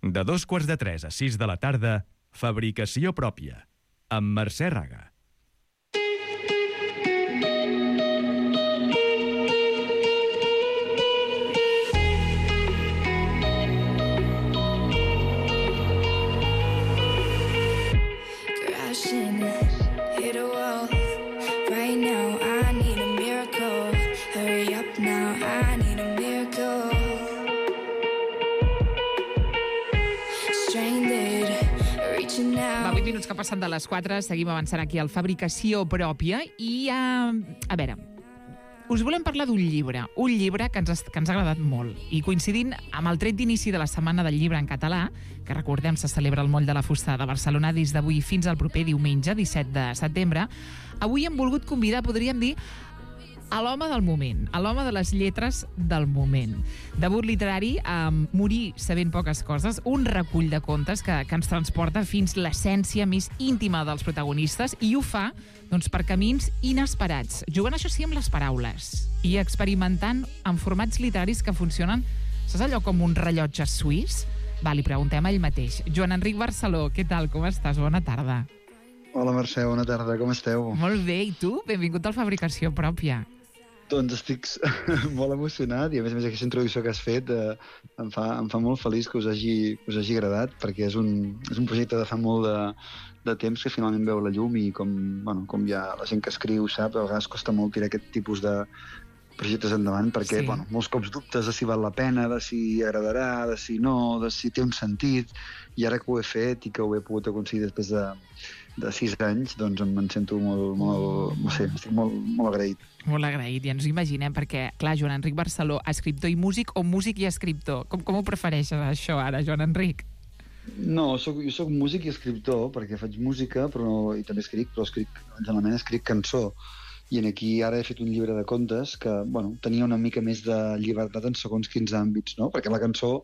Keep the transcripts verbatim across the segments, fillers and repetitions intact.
De dos quarts de tres a sis de la tarda, Fabricació pròpia, amb Mercè Raga. Minuts que passen de les quatre, seguim avançant aquí al Fabricació pròpia i, uh, a veure, us volem parlar d'un llibre, un llibre que ens, que ens ha agradat molt i coincidint amb el tret d'inici de la Setmana del Llibre en Català, que recordem se celebra al Moll de la Fusta de Barcelona des d'avui fins al proper diumenge, disset de setembre, avui hem volgut convidar, podríem dir, a l'home del moment, a l'home de les lletres del moment. Debut literari amb Morir sabent poques coses, un recull de contes que, que ens transporta fins l'essència més íntima dels protagonistes i ho fa doncs, per camins inesperats, jugant això sí amb les paraules i experimentant amb formats literaris que funcionen, saps allò com un rellotge suís? Va, li preguntem a ell mateix. Joan Enric Barceló, què tal, com estàs? Bona tarda. Hola Mercè, bona tarda, com esteu? Molt bé, i tu? Benvingut al Fabricació pròpia. Doncs estic molt emocionat i a més a més aquesta introducció que has fet eh, em, fa, em fa molt feliç que us hagi, que us hagi agradat perquè és un, és un projecte de fa molt de, de temps que finalment veu la llum i com, bueno, com ja la gent que escriu sap, a vegades costa molt tirar aquest tipus de projectes endavant perquè sí. bueno, molts cops dubtes de si val la pena, de si agradarà, de si no, de si té un sentit i ara que ho he fet i que ho he pogut aconseguir després de de sis anys, doncs em sento molt, molt, no sé, estic molt, molt agraït. Molt agraït, ja ens ho imaginem, perquè, clar, Joan Enric Barceló, escriptor i músic o músic i escriptor? Com, com ho prefereixes, això, ara, Joan Enric? No, soc, jo soc músic i escriptor, perquè faig música, però, i també escric, però escric, generalment escric cançó. I aquí ara he fet un llibre de contes que, bueno, tenia una mica més de llibertat en segons quins àmbits, no? Perquè la cançó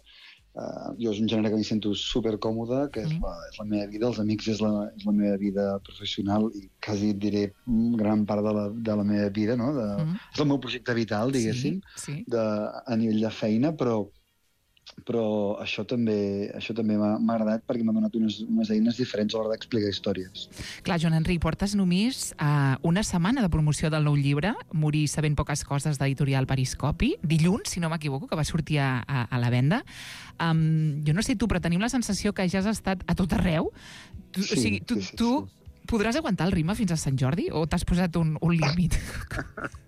Uh, jo és un gènere que m'hi sento supercòmode, que és la, és la meva vida, els amics és la, és la meva vida professional i quasi et diré gran part de la, de la meva vida, no? De, mm. És el meu projecte vital, diguéssim, sí, sí. De, a nivell de feina, però però això també, això també m'ha agradat perquè m'ha donat unes, unes eines diferents a l'hora d'explicar històries. Clar, Joan Enric, portes només uh, una setmana de promoció del nou llibre, Morir sabent poques coses, d'editorial Periscopi, dilluns, si no m'equivoco, que va sortir a, a, a la venda. Um, jo no sé tu, però tenim la sensació que ja has estat a tot arreu. Tu, sí, o sigui, tu, sí, sí, tu sí. Podràs aguantar el ritme fins a Sant Jordi o t'has posat un, un límit?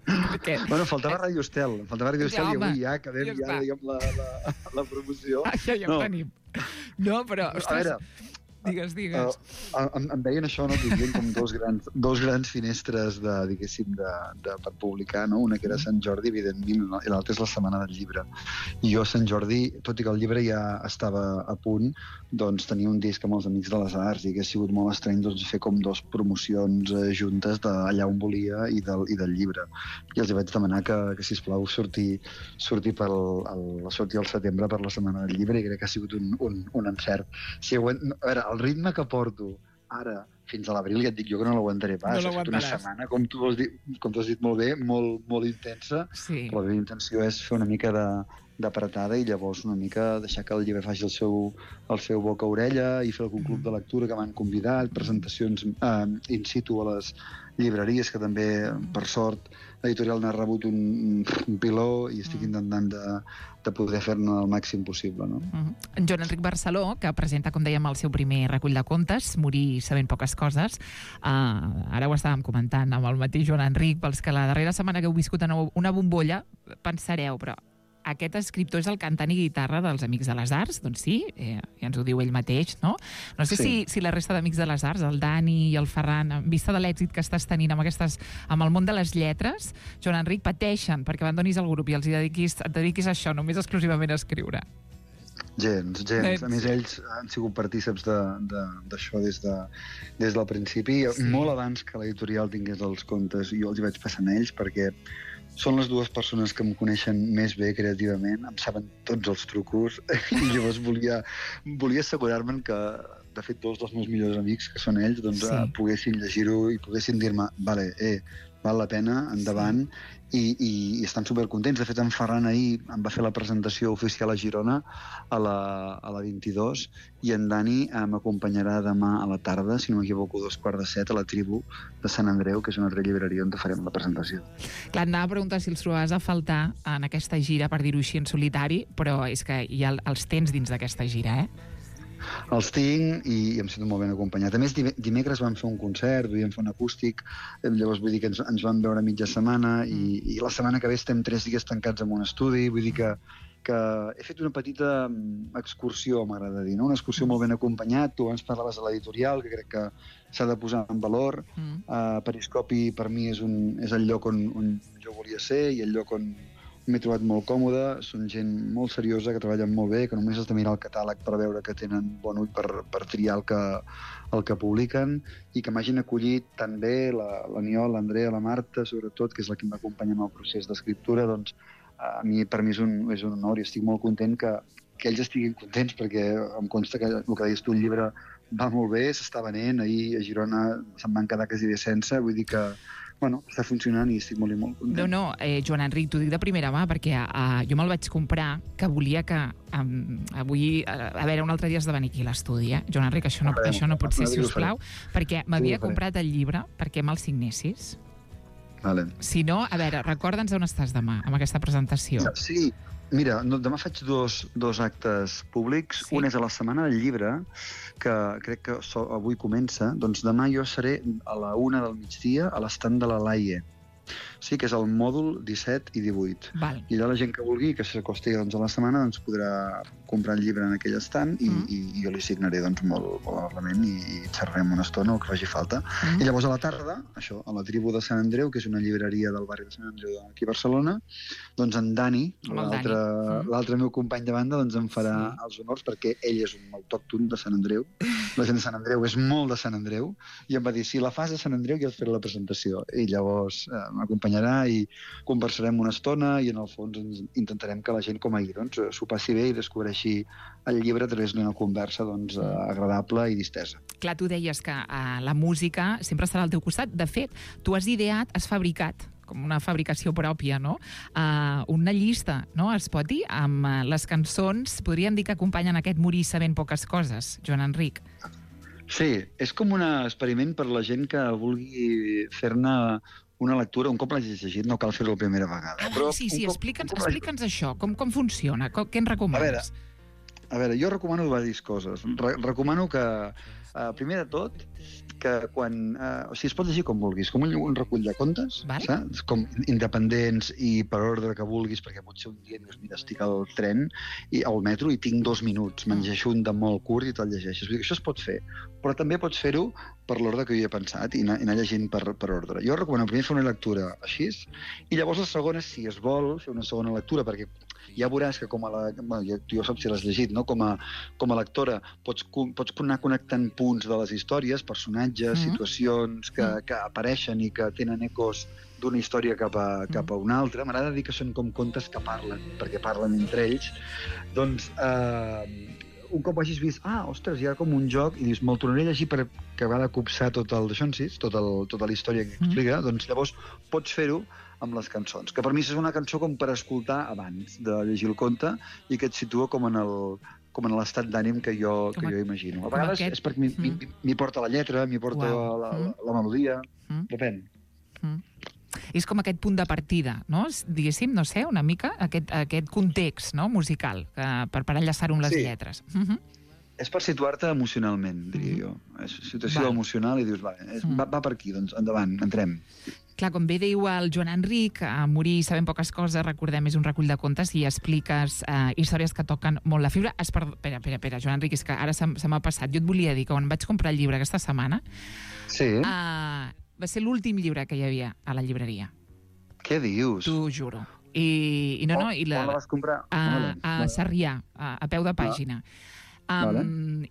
Perquè... Bueno, faltava Ràdio Estel, faltava Ràdio Estel i avui ja acabem ja, ja, diguem, la, la, la promoció. Ah, ja, ja no. ho tenim. No, però... Ostres, a veure, digues, digues. Uh, em, em deien això, no? Vivien com dos grans, dos grans finestres de, diguéssim, de, de, per publicar, no? Una que era Sant Jordi, evidentment, i l'altra és la Setmana del Llibre. I jo a Sant Jordi, tot i que el llibre ja estava a punt, doncs tenia un disc amb els Amics de les Arts i que ha sigut molt estrany doncs, fer com dos promocions eh, juntes d'allà on volia i del, i del llibre. I els vaig demanar que, que sisplau, sortir, sortir, pel, el, sortir al setembre per la Setmana del Llibre i crec que ha sigut un, un, un encert. Si aguant... A veure, el ritme que porto ara fins a l'abril, ja et dic jo que no l'aguantaré pas. No ha estat una setmana, com tu, has dit, com tu has dit molt bé, molt, molt intensa. Sí. La meva intenció és fer una mica de d'apretada i llavors una mica deixar que el llibre faci el seu, el seu boca-orella i fer algun club de lectura que m'han convidat, presentacions eh, in situ a les llibreries, que també, per sort, l'editorial n'ha rebut un, un piló i estic intentant de, de poder fer-ne el màxim possible. No? Uh-huh. Joan Enric Barceló, que presenta, com dèiem, el seu primer recull de contes, Morir sabent poques coses, uh, ara ho estàvem comentant amb el mateix Joan Enric, pels que la darrera setmana que heu viscut en una bombolla, pensareu, però aquest escriptor és el cantant i guitarra dels Amics de les Arts? Doncs sí, eh, ja ens ho diu ell mateix, no? No sé sí. si, si la resta d'Amics de les Arts, el Dani i el Ferran, en vista de l'èxit que estàs tenint amb, aquestes, amb el món de les lletres, Joan Enric, pateixen perquè abandonis el grup i els hi dediquis, et dediquis a això, només exclusivament a escriure. Gens, gens. A més, ells han sigut partíceps d'això de, de, des, de, des del principi. Sí. Molt abans que l'editorial tingués els contes, jo els hi vaig passar a ells perquè són les dues persones que em coneixen més bé creativament, em saben tots els trucos i llavors volia, volia assegurar-me'n que, de fet, dos dels meus millors amics, que són ells, doncs sí. eh, poguessin llegir-ho i poguessin dir-me, vale, eh, val la pena, endavant, sí. i, i, i estan supercontents. De fet, en Ferran ahir em va fer la presentació oficial a Girona a la, a la vint-i-dos, i en Dani eh, m'acompanyarà demà a la tarda, si no m'equivoco, dos quarts de set, a la Tribu de Sant Andreu, que és una altra llibreria on farem la presentació. Clar, anava a preguntar si els trobaves a faltar en aquesta gira, per dir-ho així, en solitari, però és que ja els tens dins d'aquesta gira, eh? Els tinc i em sento molt ben acompanyat. A més, dimecres vam fer un concert, vam fer un acústic, llavors vull dir que ens, ens vam veure mitja setmana i, i la setmana que ve estem tres dies tancats en un estudi, vull dir que, que he fet una petita excursió, m'agrada dir, no? Una excursió molt ben acompanyat. Tu abans parlaves de l'editorial, que crec que s'ha de posar en valor. Mm. Uh, Periscopi per mi és, un, és el lloc on, on jo volia ser i el lloc on m'he trobat molt còmode. Són gent molt seriosa, que treballen molt bé, que només has de mirar el catàleg per veure que tenen bon ull per, per triar el que, el que publiquen, i que m'hagin acollit tan bé l'Aniol, l'Andrea, la Marta, sobretot, que és la que m'acompanya en el procés d'escriptura. Doncs a mi, per mi és un, és un honor i estic molt content que, que ells estiguin contents, perquè em consta que el que deies tu, el llibre va molt bé, s'està venent. Ahir a Girona se'n van quedar quasi bé sense, vull dir que bueno, està funcionant i estic molt i molt content. No, no, eh, Joan Enric, t'ho dic de primera mà, perquè eh, jo me'l vaig comprar, que volia que um, avui, a, a veure, un altre dia has de venir aquí a l'estudi, eh? Joan Enric, això no, farem, això no pot ser, si us plau, perquè m'havia sí, comprat el llibre perquè me'l signessis. Vale. Si no, a veure, recorda'ns on estàs demà, amb aquesta presentació. Sí, mira, no, demà faig dos, dos actes públics. Sí. Un és a la Setmana del Llibre, que crec que so, avui comença. Doncs demà jo seré a la una del migdia a l'estand de la Laie. Sí, que és el mòdul disset i divuit. Val. I allà la gent que vulgui, que s'acosti doncs, a la setmana, doncs podrà comprar el llibre en aquell estand i, mm. i, i jo li signaré doncs, molt, molt amablement i, i xerrarem una estona, el que faci falta. Mm. I llavors a la tarda, això, a la Tribu de Sant Andreu, que és una llibreria del barri de Sant Andreu aquí a Barcelona, doncs en Dani, l'altre mm. meu company de banda, doncs em farà sí. els honors, perquè ell és un autòcton de Sant Andreu. La gent de Sant Andreu és molt de Sant Andreu, i em va dir, si la fas a Sant Andreu jo et faré la presentació. I llavors eh, m'acompanyarà i conversarem una estona i en el fons ens intentarem que la gent com ahir doncs, s'ho passi bé i descobreixi el llibre a través d'una conversa doncs, agradable i distesa. Clar, tu deies que uh, la música sempre estarà al teu costat. De fet, tu has ideat, has fabricat, com una fabricació pròpia, no? Uh, una llista, no? Es pot dir, amb uh, les cançons, podríem dir que acompanyen aquest Morir sabent poques coses, Joan Enric. Sí, és com un experiment per la gent que vulgui fer-ne una lectura, un cop l'hagis llegit, no cal fer-ho la primera vegada. Ah, però sí, sí, explica'ns explica'ns això, com, com funciona, com, què ens recomanes? A veure, a veure, jo recomano diverses coses. Re recomano que, uh, primer de tot, que quan... Uh, o sigui, es pot llegir com vulguis, com un, un recull de contes, vale. Saps? Com independents i per ordre que vulguis, perquè potser un dia dius, mira, estic al tren i al metro i tinc dos minuts, me'n llegeixo un de molt curt i te'l llegeixes. Vull dir que això es pot fer, però també pots fer-ho per l'ordre que jo he pensat i anar, i anar llegint per, per ordre. Jo recomano primer fer una lectura així, i llavors la segona, si es vol, fer una segona lectura, perquè ja veuràs que com a la... Bueno, ja, tu ja saps si l'has llegit, no? Com a, com a lectora pots, pots anar connectant punts de les històries, personatges, mm-hmm. situacions que, que apareixen i que tenen ecos d'una història cap a, cap a una altra. M'agrada dir que són com contes que parlen, perquè parlen entre ells. Doncs, eh, un cop hagis vist, ah, ostres, hi ha com un joc, i dius, me'l tornaré a llegir per acabar de copsar tot el d'això en sis, tot el, tota la història que explica, mm. doncs llavors pots fer-ho amb les cançons, que per mi és una cançó com per escoltar abans de llegir el conte i que et situa com en el com en l'estat d'ànim que jo, que jo imagino. A vegades aquest... és perquè m'hi mm. porta la lletra, m'hi porta wow. la, la, la melodia, mm. depèn. Mm. És com aquest punt de partida, no? Diguéssim, no sé, una mica, aquest, aquest context, no? Musical, que, per, per enllaçar-ho amb les sí. lletres. Uh-huh. És per situar-te emocionalment, diria uh-huh. jo. És situació va. emocional i dius, va, és, uh-huh. va, va per aquí, doncs endavant, entrem. Clar, com bé diu el Joan Enric, a Morir sabent poques coses, recordem, és un recull de contes i expliques eh, històries que toquen molt la fibra. Espera, espera, espera, Joan Enric, és que ara se, se m'ha passat. Jo et volia dir que quan vaig comprar el llibre aquesta setmana, sí. eh, va ser l'últim llibre que hi havia a la llibreria. Què dius? T'ho juro. I, i no, no, i la, on la vas comprar? A, a Sarrià, a, a peu de pàgina. Ah. Um, vale.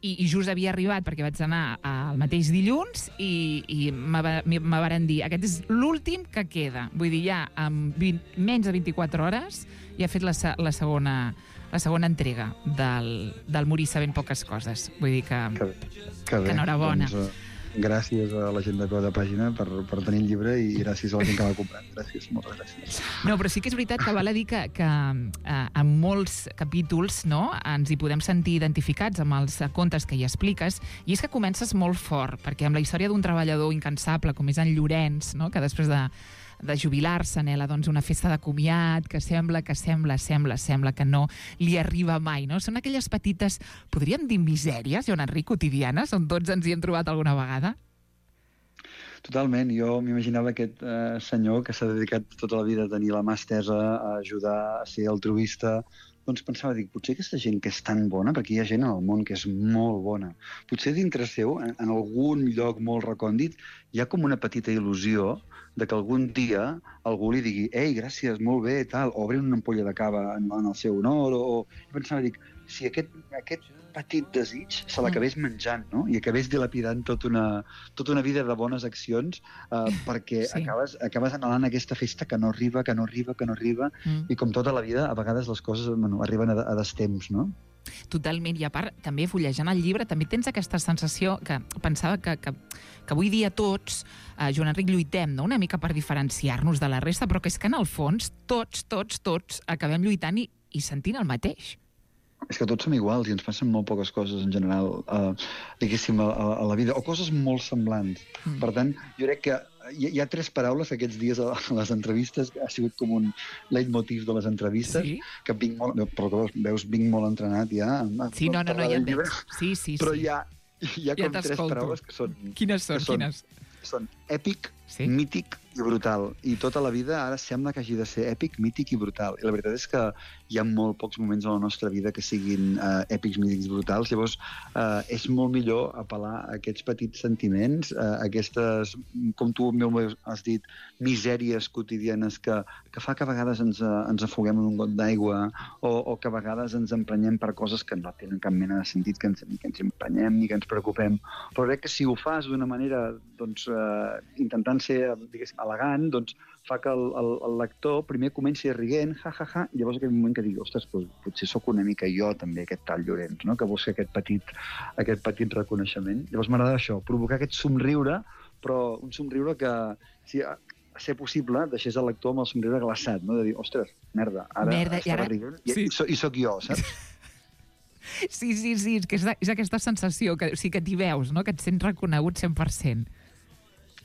i, I just havia arribat perquè vaig anar el mateix dilluns i, i me varen dir, aquest és l'últim que queda. Vull dir, ja en vint, menys de vint-i-quatre hores ja he fet la, la, segona, la segona entrega del, del Morir sabent poques coses. Vull dir que, que, que, que enhorabona. Doncs, uh... gràcies a la gent de peu de pàgina per, per tenir el llibre i gràcies a la gent que l'ha comprat. Gràcies, moltes gràcies. No, però sí que és veritat que val a dir que, que eh, en molts capítols, no, ens hi podem sentir identificats amb els contes que hi expliques, i és que comences molt fort, perquè amb la història d'un treballador incansable com és en Llorenç, no, que després de de jubilar-se, anhela doncs, una festa de comiat que sembla, que sembla, sembla, sembla que no li arriba mai, no? Són aquelles petites, podríem dir misèries, Joan Enric, quotidianes, on tots ens hi hem trobat alguna vegada? Totalment. Jo m'imaginava aquest eh, senyor que s'ha dedicat tota la vida a tenir la mà estesa, a ajudar, a ser altruista. Doncs pensava, dic, potser aquesta gent que és tan bona, perquè hi ha gent en el món que és molt bona, potser dintre seu, en, en algun lloc molt recòndit, hi ha com una petita il·lusió de que algun dia algú li digui «Ei, gràcies, molt bé, tal», o obrin una ampolla de cava en, en el seu honor, o... I pensava, dic, si aquest, aquest petit desig se l'acabés menjant, no? I acabés dilapidant tota una, tota una vida de bones accions eh, perquè Sí. acabes, acabes anhelant aquesta festa que no arriba, que no arriba, que no arriba, Mm. i com tota la vida, a vegades les coses bueno, arriben a, a destemps, no? Totalment, i a part, també fullejant el llibre, també tens aquesta sensació que pensava que, que, que avui dia tots, eh, Joan Enric, lluitem, no? Una mica per diferenciar-nos de la resta, però que és que en el fons tots, tots, tots acabem lluitant i, i sentint el mateix. És que tots som iguals i ens passen molt poques coses en general, eh, diguéssim, a, a, a la vida, o coses molt semblants. Mm. Per tant, jo crec que hi, hi ha tres paraules que aquests dies a les entrevistes, que ha sigut com un leitmotiv de les entrevistes, Sí? que vinc molt, però que veus, vinc molt entrenat ja. a- Sí, no, no, no, parlar ja del et llibre, veig. Sí, sí, Però sí. hi ha, hi ha Ja com tres t'escolto. paraules que són, Quines són, que són- quines? són èpic, Sí? mític i brutal. I tota la vida ara sembla que hagi de ser èpic, mític i brutal. I la veritat és que hi ha molt pocs moments a la nostra vida que siguin eh, èpics, mítics i brutals. Llavors, eh, és molt millor apel·lar a aquests petits sentiments, eh, aquestes, com tu meu has dit, misèries quotidianes que, que fa que a vegades ens, eh, ens afoguem en un got d'aigua o, o que a vegades ens emprenyem per coses que no tenen cap mena de sentit, que ens, ni que ens emprenyem ni que ens preocupem. Però crec que si ho fas d'una manera doncs, eh, intentant ser, diguéssim, elegant, doncs fa que el, el, el lector primer comenci rient, ja, ja, ja, i llavors aquell moment que digui, ostres, doncs, potser sóc una mica jo també, aquest tal Llorenç, no? Que busca aquest petit, aquest petit reconeixement. Llavors m'agrada això, provocar aquest somriure, però un somriure que, si a ser possible, deixés el lector amb el somriure glaçat, no? De dir, ostres, merda, ara Merda, i estava ara- rient i, sí. i, so, i sóc jo, saps? Sí, sí, sí, és, que és, és aquesta sensació, que, o sigui, que t'hi veus, no? Que et sents reconegut cent per cent.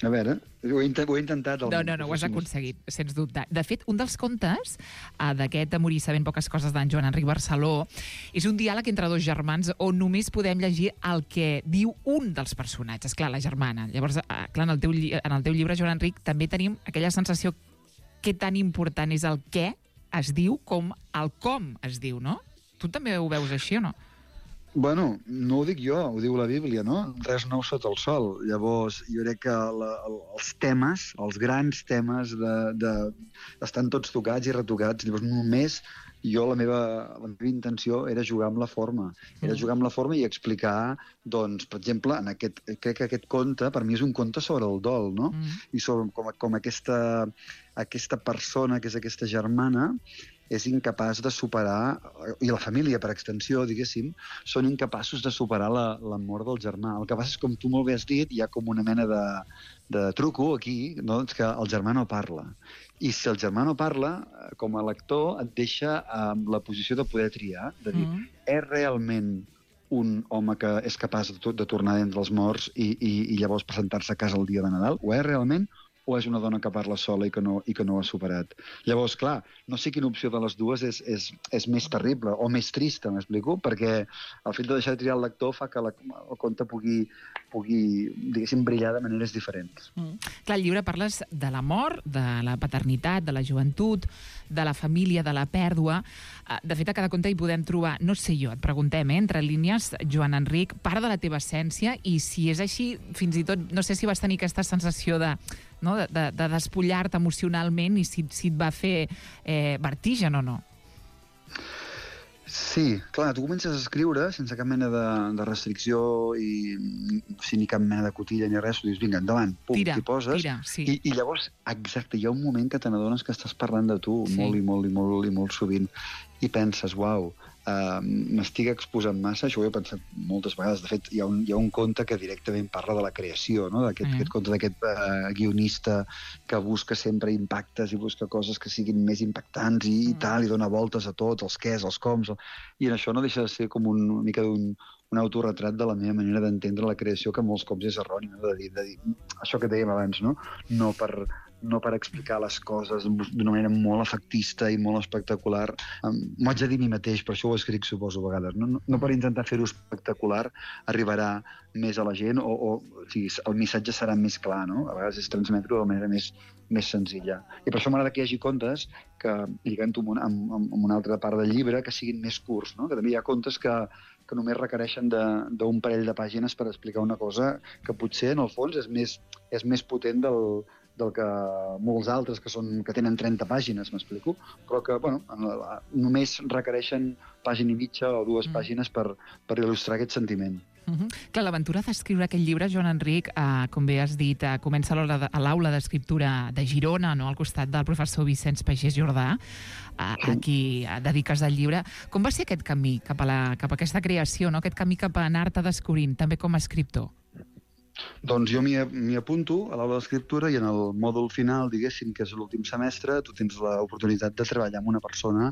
A veure, ho he, intent, ho he intentat. No, no, no, ho has aconseguit, sens dubte. De fet, un dels contes uh, d'aquest A morir sabent poques coses d'en Joan Enric Barceló és un diàleg entre dos germans on només podem llegir el que diu un dels personatges, clar, la germana. Llavors, uh, clar, en el, teu, lli- en el teu llibre, Joan Enric, també tenim aquella sensació que tan important és el què es diu com el com es diu, no? Tu també ho veus així o no? Bueno, no ho dic jo, ho diu la Bíblia, no? Res nou sota el sol. Llavors, jo crec que la, el, els temes, els grans temes, de, de, estan tots tocats i retocats. Llavors, només jo, la meva, la meva intenció era jugar amb la forma. Era jugar amb la forma i explicar, doncs, per exemple, en aquest, crec que aquest conte, per mi és un conte sobre el dol, no? Mm. I sobre com, com aquesta, aquesta persona, que és aquesta germana, és incapaç de superar, i la família per extensió, diguéssim, són incapaços de superar la, la mort del germà. El que passa és, com tu molt bé has dit, hi ha com una mena de, de truco aquí, no? És que el germà no parla. I si el germà no parla, com a lector et deixa amb la posició de poder triar, de dir, Mm. és realment un home que és capaç de, de tornar d'entre els morts i, i, i llavors presentar-se a casa el dia de Nadal, o és realment o és una dona que parla sola i que no, i que no ho ha superat. Llavors, clar, no sé quina opció de les dues és, és, és més terrible o més trista, m'explico? Perquè el fet de deixar de triar el lector fa que la, el conte pugui, pugui, diguéssim, brillar de maneres diferents. Mm. Clar, al llibre parles de la mort, de la paternitat, de la joventut, de la família, de la pèrdua. Eh, De fet, a cada conte hi podem trobar, no sé jo, et preguntem, eh, entre línies, Joan Enric, part de la teva essència, i si és així, fins i tot, no sé si vas tenir aquesta sensació de, no, de, de, de despullar-te emocionalment i si, si et va fer eh, vertigen o no. Sí, clar, tu comences a escriure sense cap mena de, de restricció i sin ni cap mena de cotilla ni res, tu dius, vinga, endavant, pum, Tira, t'hi poses, tira, sí. i, i llavors, exacte, hi ha un moment que te n'adones que estàs parlant de tu, Sí. molt i molt i molt i molt sovint, i penses, uau, uh, m'estic exposant massa, això ho he pensat moltes vegades. De fet, hi ha un, hi ha un conte que directament parla de la creació, no? D'aquest mm. conte d'aquest uh, guionista que busca sempre impactes i busca coses que siguin més impactants i, mm. i tal, i dona voltes a tot, els quès, els coms, i en això no deixa de ser com un, una mica d'un un autorretrat de la meva manera d'entendre la creació, que molts cops és erroni, no? de, dir, de dir això que dèiem abans, no? No per, no per explicar les coses d'una manera molt efectista i molt espectacular. Um, M'ho haig de dir a mi mateix, per això ho escric, suposo, a vegades. No, no, no per intentar fer-ho espectacular arribarà més a la gent, o, o, o sigui, el missatge serà més clar, no? A vegades és transmetre-ho de manera més, més senzilla. I per això m'agrada que hi hagi contes que, lligant-ho amb, amb, amb una altra part del llibre, que siguin més curts, no? Que també hi ha contes que, que només requereixen d'un parell de pàgines per explicar una cosa que potser, en el fons, és més, és més potent del, del que molts altres que, són, que tenen trenta pàgines, m'explico, però que bueno, només requereixen pàgina i mitja o dues mm. pàgines per, per il·lustrar aquest sentiment. Uh-huh. Clar, l'aventura d'escriure aquest llibre, Joan Enric, eh, com bé has dit, eh, comença a l'aula d'escriptura de Girona, no? Al costat del professor Vicenç Pagès Jordà, eh, sí. a qui dediques el llibre. Com va ser aquest camí cap a, la, cap a aquesta creació, no? Aquest camí cap a anar-te descobrint, també com a escriptor? Doncs jo m'hi apunto a l'aula d'escriptura i en el mòdul final, diguéssim, que és l'últim semestre, tu tens l'oportunitat de treballar amb una persona,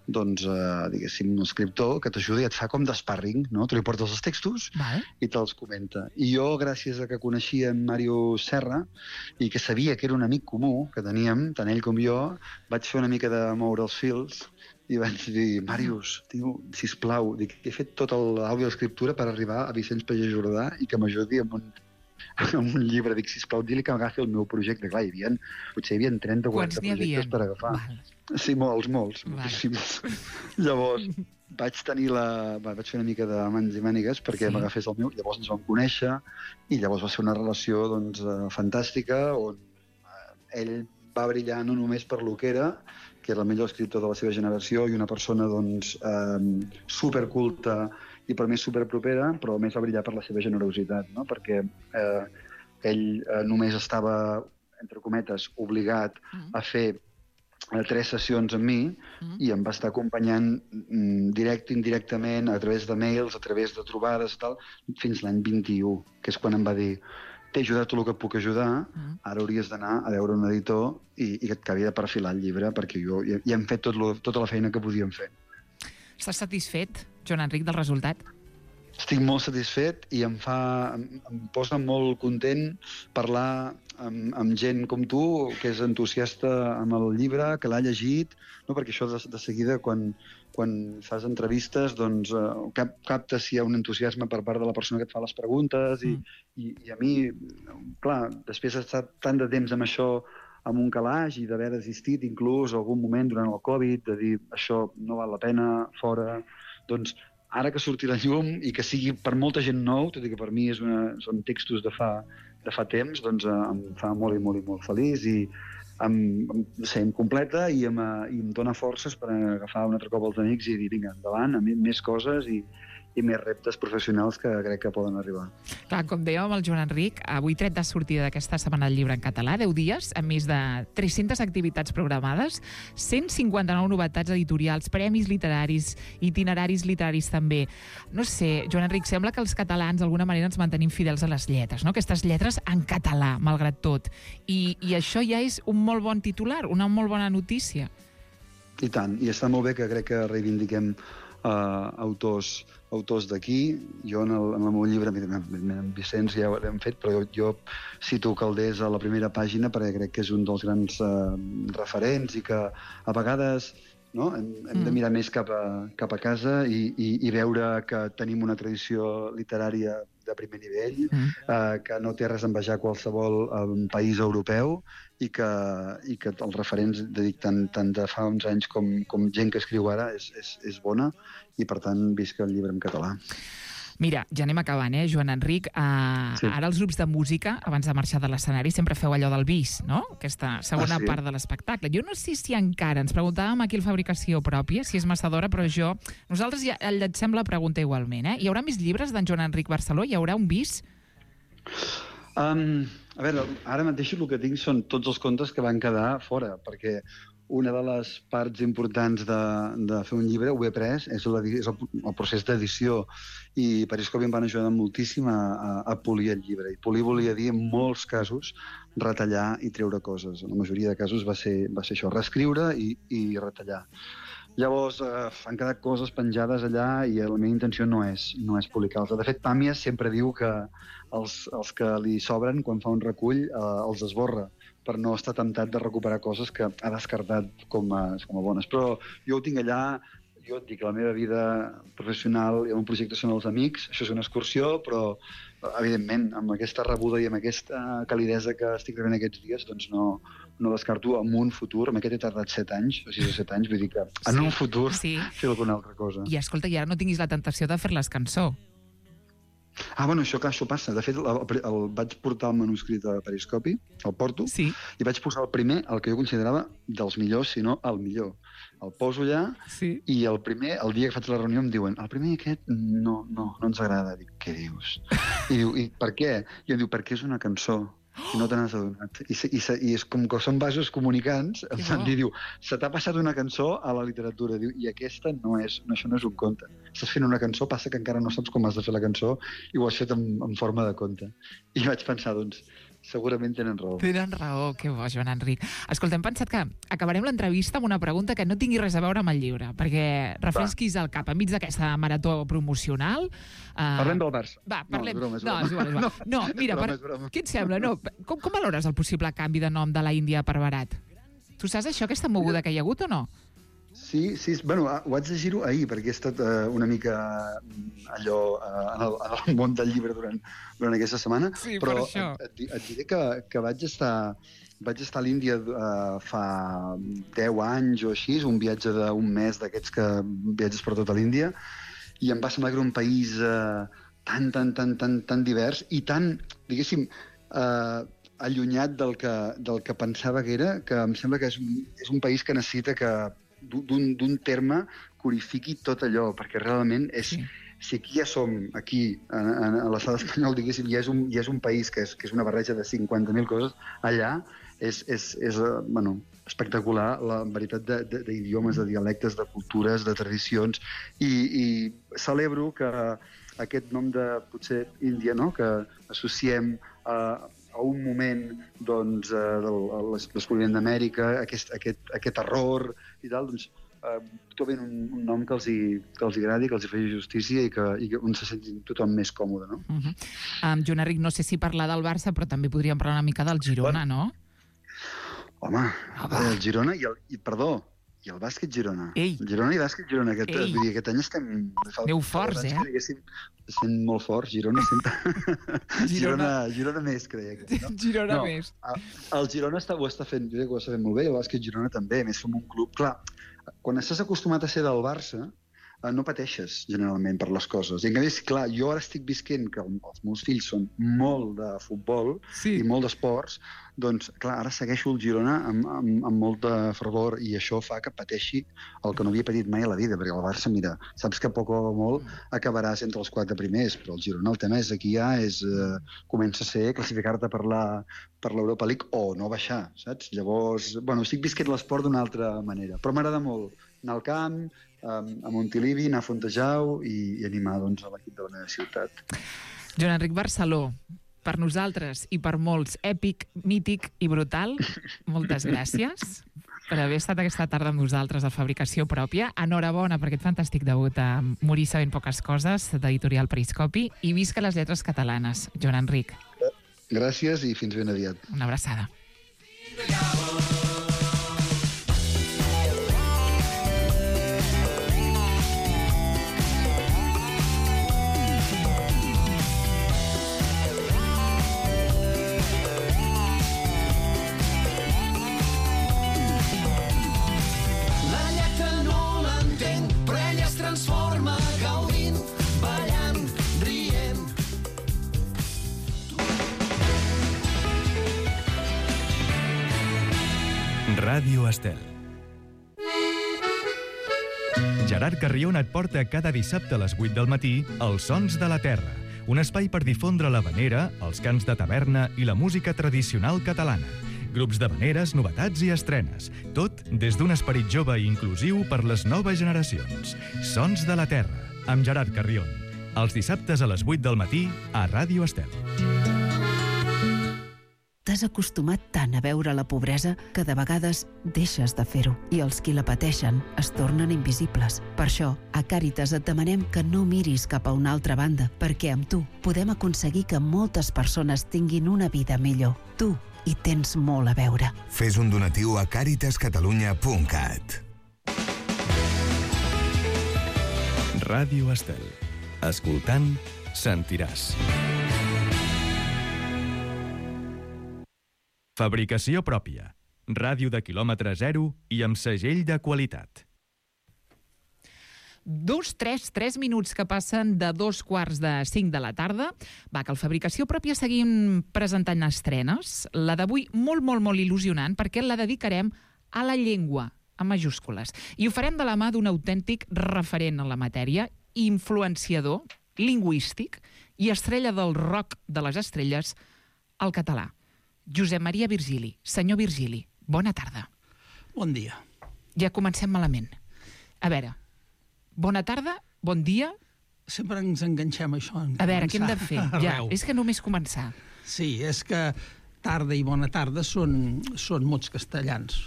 doncs, eh, diguéssim, un escriptor que t'ajuda i et fa com d'sparring, no? Tu li portes els textos vale. I te'ls comenta. I jo, gràcies a que coneixia en Màrio Serra i que sabia que era un amic comú que teníem, tant ell com jo, vaig fer una mica de moure els fils i vaig dir, Màrius, tio, sisplau, dic, he fet tot l'àudio d'escriptura per arribar a Vicenç Pagès Jordà i que m'ajudi amb un amb un llibre. Dic, sisplau, di-li que agafi el meu projecte. Clar, hi havia, potser hi havia trenta o quaranta projectes per agafar. Val. Sí, molts, molts, Val. moltíssims. Llavors, vaig tenir la... vaig fer una mica de mans i mànigues perquè sí. m'agafés el meu, llavors ens vam conèixer i llavors va ser una relació doncs, fantàstica on ell va brillar no només per lo que era, que era el millor escriptor de la seva generació i una persona doncs, eh, superculta i per mi superpropera, però a més va brillar per la seva generositat, no? Perquè eh, ell eh, només estava, entre cometes, obligat mm. a fer eh, tres sessions amb mi mm. i em va estar acompanyant mm, directe, indirectament, a través de mails, a través de trobades i tal, fins l'any vint-i-u, que és quan em va dir t'he ajudat tot el que et puc ajudar, mm. ara hauries d'anar a veure un editor i, i que et acabi de perfilar el llibre, perquè jo ja, ja hem fet tot lo, tota la feina que podíem fer. Estàs satisfet, Joan Enric, del resultat? Estic molt satisfet i em fa, em, em posa molt content parlar amb, amb gent com tu, que és entusiasta amb el llibre, que l'ha llegit, no? Perquè això de, de seguida, quan, quan fas entrevistes, doncs eh, cap, captes si hi ha un entusiasme per part de la persona que et fa les preguntes i, mm. i, i a mi, clar, després d'estar tant de temps amb això amb un calaix i d'haver desistit inclús algun moment durant el Covid, de dir això no val la pena, fora, doncs ara que surti la llum i que sigui per molta gent nou, tot i que per mi és una, són textos de fa, de fa temps, doncs eh, em fa molt i molt i molt feliç i em, em, sé, em completa i em, i em dona forces per agafar un altre cop els amics i dir, vinga, endavant, a més coses i, i més reptes professionals que crec que poden arribar. Clar, com dèiem amb el Joan Enric, avui tret de sortida d'aquesta setmana del llibre en català, deu dies, amb més de tres-centes activitats programades, cent cinquanta-nou novetats editorials, premis literaris, itineraris literaris també. No sé, Joan Enric, sembla que els catalans d'alguna manera ens mantenim fidels a les lletres, no? Aquestes lletres en català, malgrat tot. I, i això ja és un molt bon titular, una molt bona notícia. I tant, i està molt bé que crec que reivindiquem Uh, autors, autors d'aquí. Jo en el, en el meu llibre, amb Vicenç ja ho hem fet, però jo, jo cito Calders a la primera pàgina perquè crec que és un dels grans uh, referents i que a vegades no, hem, hem de mirar més cap a, cap a casa i, i, i veure que tenim una tradició literària de primer nivell, mm. uh, que no té res a envejar qualsevol um, país europeu i que, i que els referents de dic, tant, tant de fa uns anys com, com gent que escriu ara és, és, és bona i per tant visca el llibre en català. Mira, ja anem acabant, eh, Joan Enric. Uh, sí. Ara els grups de música, abans de marxar de l'escenari, sempre feu allò del bis, no? Aquesta segona ah, sí? part de l'espectacle. Jo no sé si encara, ens preguntàvem aquí el Fabricació Pròpia, si és massa d'hora, però jo... Nosaltres ja llancem la pregunta igualment, eh? Hi haurà més llibres d'en Joan Enric Barceló? Hi haurà un bis? Um, a veure, ara mateix el que tinc són tots els contes que van quedar fora, perquè una de les parts importants de, de fer un llibre, ho he après, és, la, és el, el procés d'edició, i Periscopi em van ajudar moltíssim a, a, a polir el llibre. I polir volia dir, en molts casos, retallar i treure coses. En la majoria de casos va ser, va ser això, reescriure i, i retallar. Llavors, eh, han quedat coses penjades allà i la meva intenció no és, no és publicar-les. De fet, Pàmies sempre diu que els, els que li sobren, quan fa un recull, eh, els esborra, per no estar temptat de recuperar coses que ha descartat com a, com a bones. Però jo ho tinc allà, jo et dic, la meva vida professional i el meu projecte són els amics, això és una excursió, però evidentment, amb aquesta rebuda i amb aquesta calidesa que estic rebent aquests dies, doncs no, no descarto en un futur, amb aquest he tardat set anys, o sis o set anys, vull dir que en Sí, un futur sí. fer alguna altra cosa. I escolta, i ara no tinguis la tentació de fer-les cançó. Ah, bueno, això, clar, això passa. De fet, el, el, el vaig portar el manuscrit a Periscopi, el porto, Sí. i vaig posar el primer, el que jo considerava dels millors, si no el millor. El poso allà, Sí. i el primer, el dia que faig la reunió, em diuen el primer aquest no, no, no ens agrada. Dic, què dius? I diu, i per què? I em diu, perquè és una cançó. I no te n'has adonat. I, i, I és com que són vasos comunicants, Que em bo. i diu, se t'ha passat una cançó a la literatura, diu, i aquesta no és, no, això no és un conte. Estàs fent una cançó, passa que encara no saps com has de fer la cançó i ho has fet en, en forma de conte. I vaig pensar, doncs, segurament tenen raó. Tenen raó, que bo, Joan Enric. Escolta, hem pensat que acabarem l'entrevista amb una pregunta que no tingui res a veure amb el llibre, perquè refresquis el cap enmig d'aquesta marató promocional. Uh... Parlem del Barça. Va, parlem... No, és broma, és no, broma. és igual, és igual. No, No, mira, és broma, per... és broma. què et sembla? No, com, com valores el possible canvi de nom de la Índia per Barat? Tu saps això, aquesta moguda que hi ha hagut o no? Sí, sí, bueno, ho vaig llegir-ho ahir, perquè he estat uh, una mica allò uh, en, el, en el món del llibre durant, durant aquesta setmana, Sí, per però això. et, et, et diré que, que vaig estar... Vaig estar a l'Índia uh, fa deu anys o així, un viatge d'un mes d'aquests que viatges per tota l'Índia, i em va semblar que era un país uh, tan, tan, tan, tan, tan divers i tan, diguéssim, uh, allunyat del que, del que pensava que era, que em sembla que és un, és un país que necessita que d'un terme codifiqui tot allò, perquè realment és... Sí. Si aquí ja som, aquí, a, a, a l'estat espanyol, diguéssim, ja és un, ja és un país que és, que és una barreja de cinquanta mil coses, allà és, és, és bueno, espectacular la veritat d'idiomes, de, de, de dialectes, de cultures, de tradicions, i, i celebro que aquest nom de, potser, Índia, no?, que associem a, a un moment doncs, del descobriment d'Amèrica, aquest, aquest, aquest error i tal, doncs, Uh, trobin un, un nom que els, hi, que els hi agradi, que els hi faci justícia i que, i que on se sentin tothom més còmode, no? Uh -huh. um, Joan Enric, no sé si parlar del Barça, però també podríem parlar una mica del Girona, no? Home, Ah, el Girona i el... I, perdó, i el bàsquet Girona. Ei. El Girona i bàsquet Girona. Aquest, Ei. vull dir, aquest any estem... Aneu forts, eh? Sent molt forts. Girona sent... Girona. Girona, Girona més, creia. Que, no? Girona no, més. El Girona està, ho està fent, jo crec que ho està fent molt bé, i el bàsquet Girona també, a més som un club... Clar, quan estàs acostumat a ser del Barça, eh, no pateixes generalment per les coses. I en canvi, clar, jo ara estic visquent que els meus fills són molt de futbol Sí. i molt d'esports, doncs, clar, ara segueixo el Girona amb, amb, amb molt de fervor i això fa que pateixi el que no havia patit mai a la vida, perquè el Barça, mira, saps que poc o molt acabaràs entre els quatre primers, però el Girona, el tema és aquí ja és, eh, comença a ser classificar-te per la per l'Europa League o no baixar, saps? Llavors, bueno, estic visquent l'esport d'una altra manera, però m'agrada molt anar al camp, a Montilivi, anar a Fontejau i, i animar doncs, a l'equip de la meva ciutat. Joan Enric Barceló, per nosaltres i per molts, èpic, mític i brutal. Moltes gràcies per haver estat aquesta tarda amb nosaltres a Fabricació Pròpia. Enhorabona per aquest fantàstic debut a Morir sabent poques coses, d'Editorial Periscopi, i visca les lletres catalanes, Joan Enric. Gràcies i fins ben aviat. Una abraçada. Ràdio Estel. Gerard Carrion et porta cada dissabte a les vuit del matí Els Sons de la Terra, un espai per difondre l'havanera, els cants de taverna i la música tradicional catalana. grups d'havaneres, novetats i estrenes. Tot des d'un esperit jove i inclusiu per les noves generacions. Sons de la Terra, amb Gerard Carrion. Els dissabtes a les vuit del matí a Ràdio Estel. T'has acostumat tant a veure la pobresa que de vegades deixes de fer-ho i els qui la pateixen es tornen invisibles. Per això, a Càritas et demanem que no miris cap a una altra banda, perquè amb tu podem aconseguir que moltes persones tinguin una vida millor. Tu hi tens molt a veure. Fes un donatiu a càritas catalunya punt cat. Ràdio Estel. Escoltant, sentiràs. Fabricació pròpia. Ràdio de quilòmetre zero i amb segell de qualitat. Dos, tres, tres minuts que passen de dos quarts de cinc de la tarda. Va, que al Fabricació Pròpia seguim presentant estrenes. La d'avui molt, molt, molt il·lusionant perquè la dedicarem a la llengua, amb majúscules. I ho farem de la mà d'un autèntic referent en la matèria, influenciador, lingüístic i estrella del rock de les estrelles, el català. Josep Maria Virgili. Senyor Virgili, bona tarda. Bon dia. Ja comencem malament. A veure, bona tarda, bon dia. Sempre ens enganxem a això. A veure, què hem de fer? Ja, és que només començar. Sí, és que tarda i bona tarda són, són mots castellans.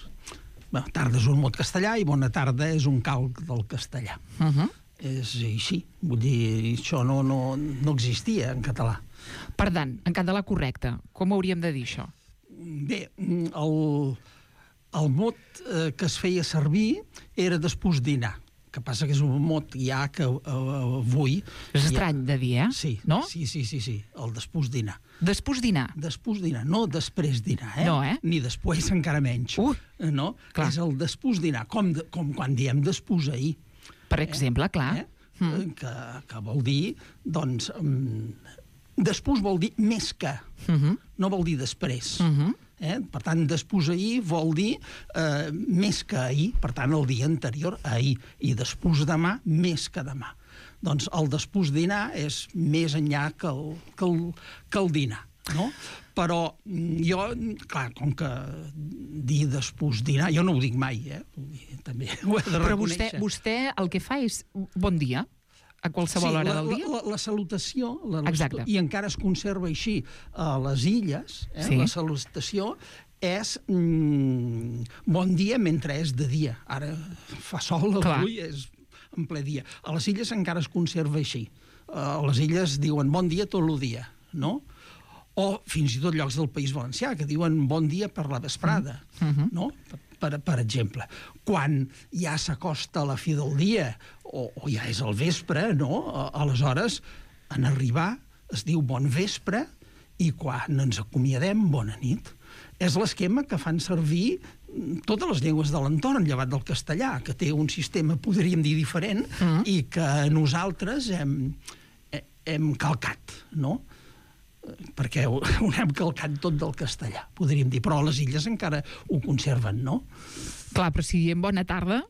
Bé, tarda és un mot castellà i bona tarda és un calc del castellà. Uh -huh. És així. Vull dir, això no, no, no existia en català. Per tant, en català correcte, com hauríem de dir això? Bé, el, el mot eh, que es feia servir era després dinar. Que passa que és un mot ja que uh, avui... És estrany de dir, eh? Sí, no? sí, sí, sí, sí, el després dinar. Després dinar? Després dinar, no després dinar, eh? No, eh? Ni després, encara menys. Uh, no? clar. És el després dinar, com, de, com quan diem després ahir. Per exemple, eh? clar. Eh? Mm. Que, que vol dir, doncs... Um, després vol dir més que, uh -huh. no vol dir després. Uh -huh. Eh? Per tant, després ahir vol dir eh, més que ahir, per tant, el dia anterior a ahir, i després demà, més que demà. Doncs el després dinar és més enllà que el, que el, que el dinar, no? Però jo, clar, com que dir després dinar, jo no ho dic mai, eh? També ho he de Però reconèixer. vostè, vostè el que fa és bon dia, a qualsevol sí, hora la, del dia? La, la, la salutació, la, Exacte. i encara es conserva així a les illes, eh? Sí. La salutació és mm, bon dia mentre és de dia. Ara fa sol, avui és en ple dia. A les illes encara es conserva així. A les illes diuen bon dia tot el dia, no? O fins i tot llocs del País Valencià que diuen bon dia per la vesprada, mm -hmm. no? Per, per exemple, quan ja s'acosta la fi del dia o, o ja és el vespre, no? Aleshores, en arribar es diu bon vespre i quan ens acomiadem, bona nit. És l'esquema que fan servir totes les llengües de l'entorn, llevat del castellà, que té un sistema, podríem dir, diferent, mm. i que nosaltres hem, hem calcat, no? Perquè ho, ho hem calcat tot del castellà, podríem dir, però a les illes encara ho conserven, no? Clar, però si diem bona tarda...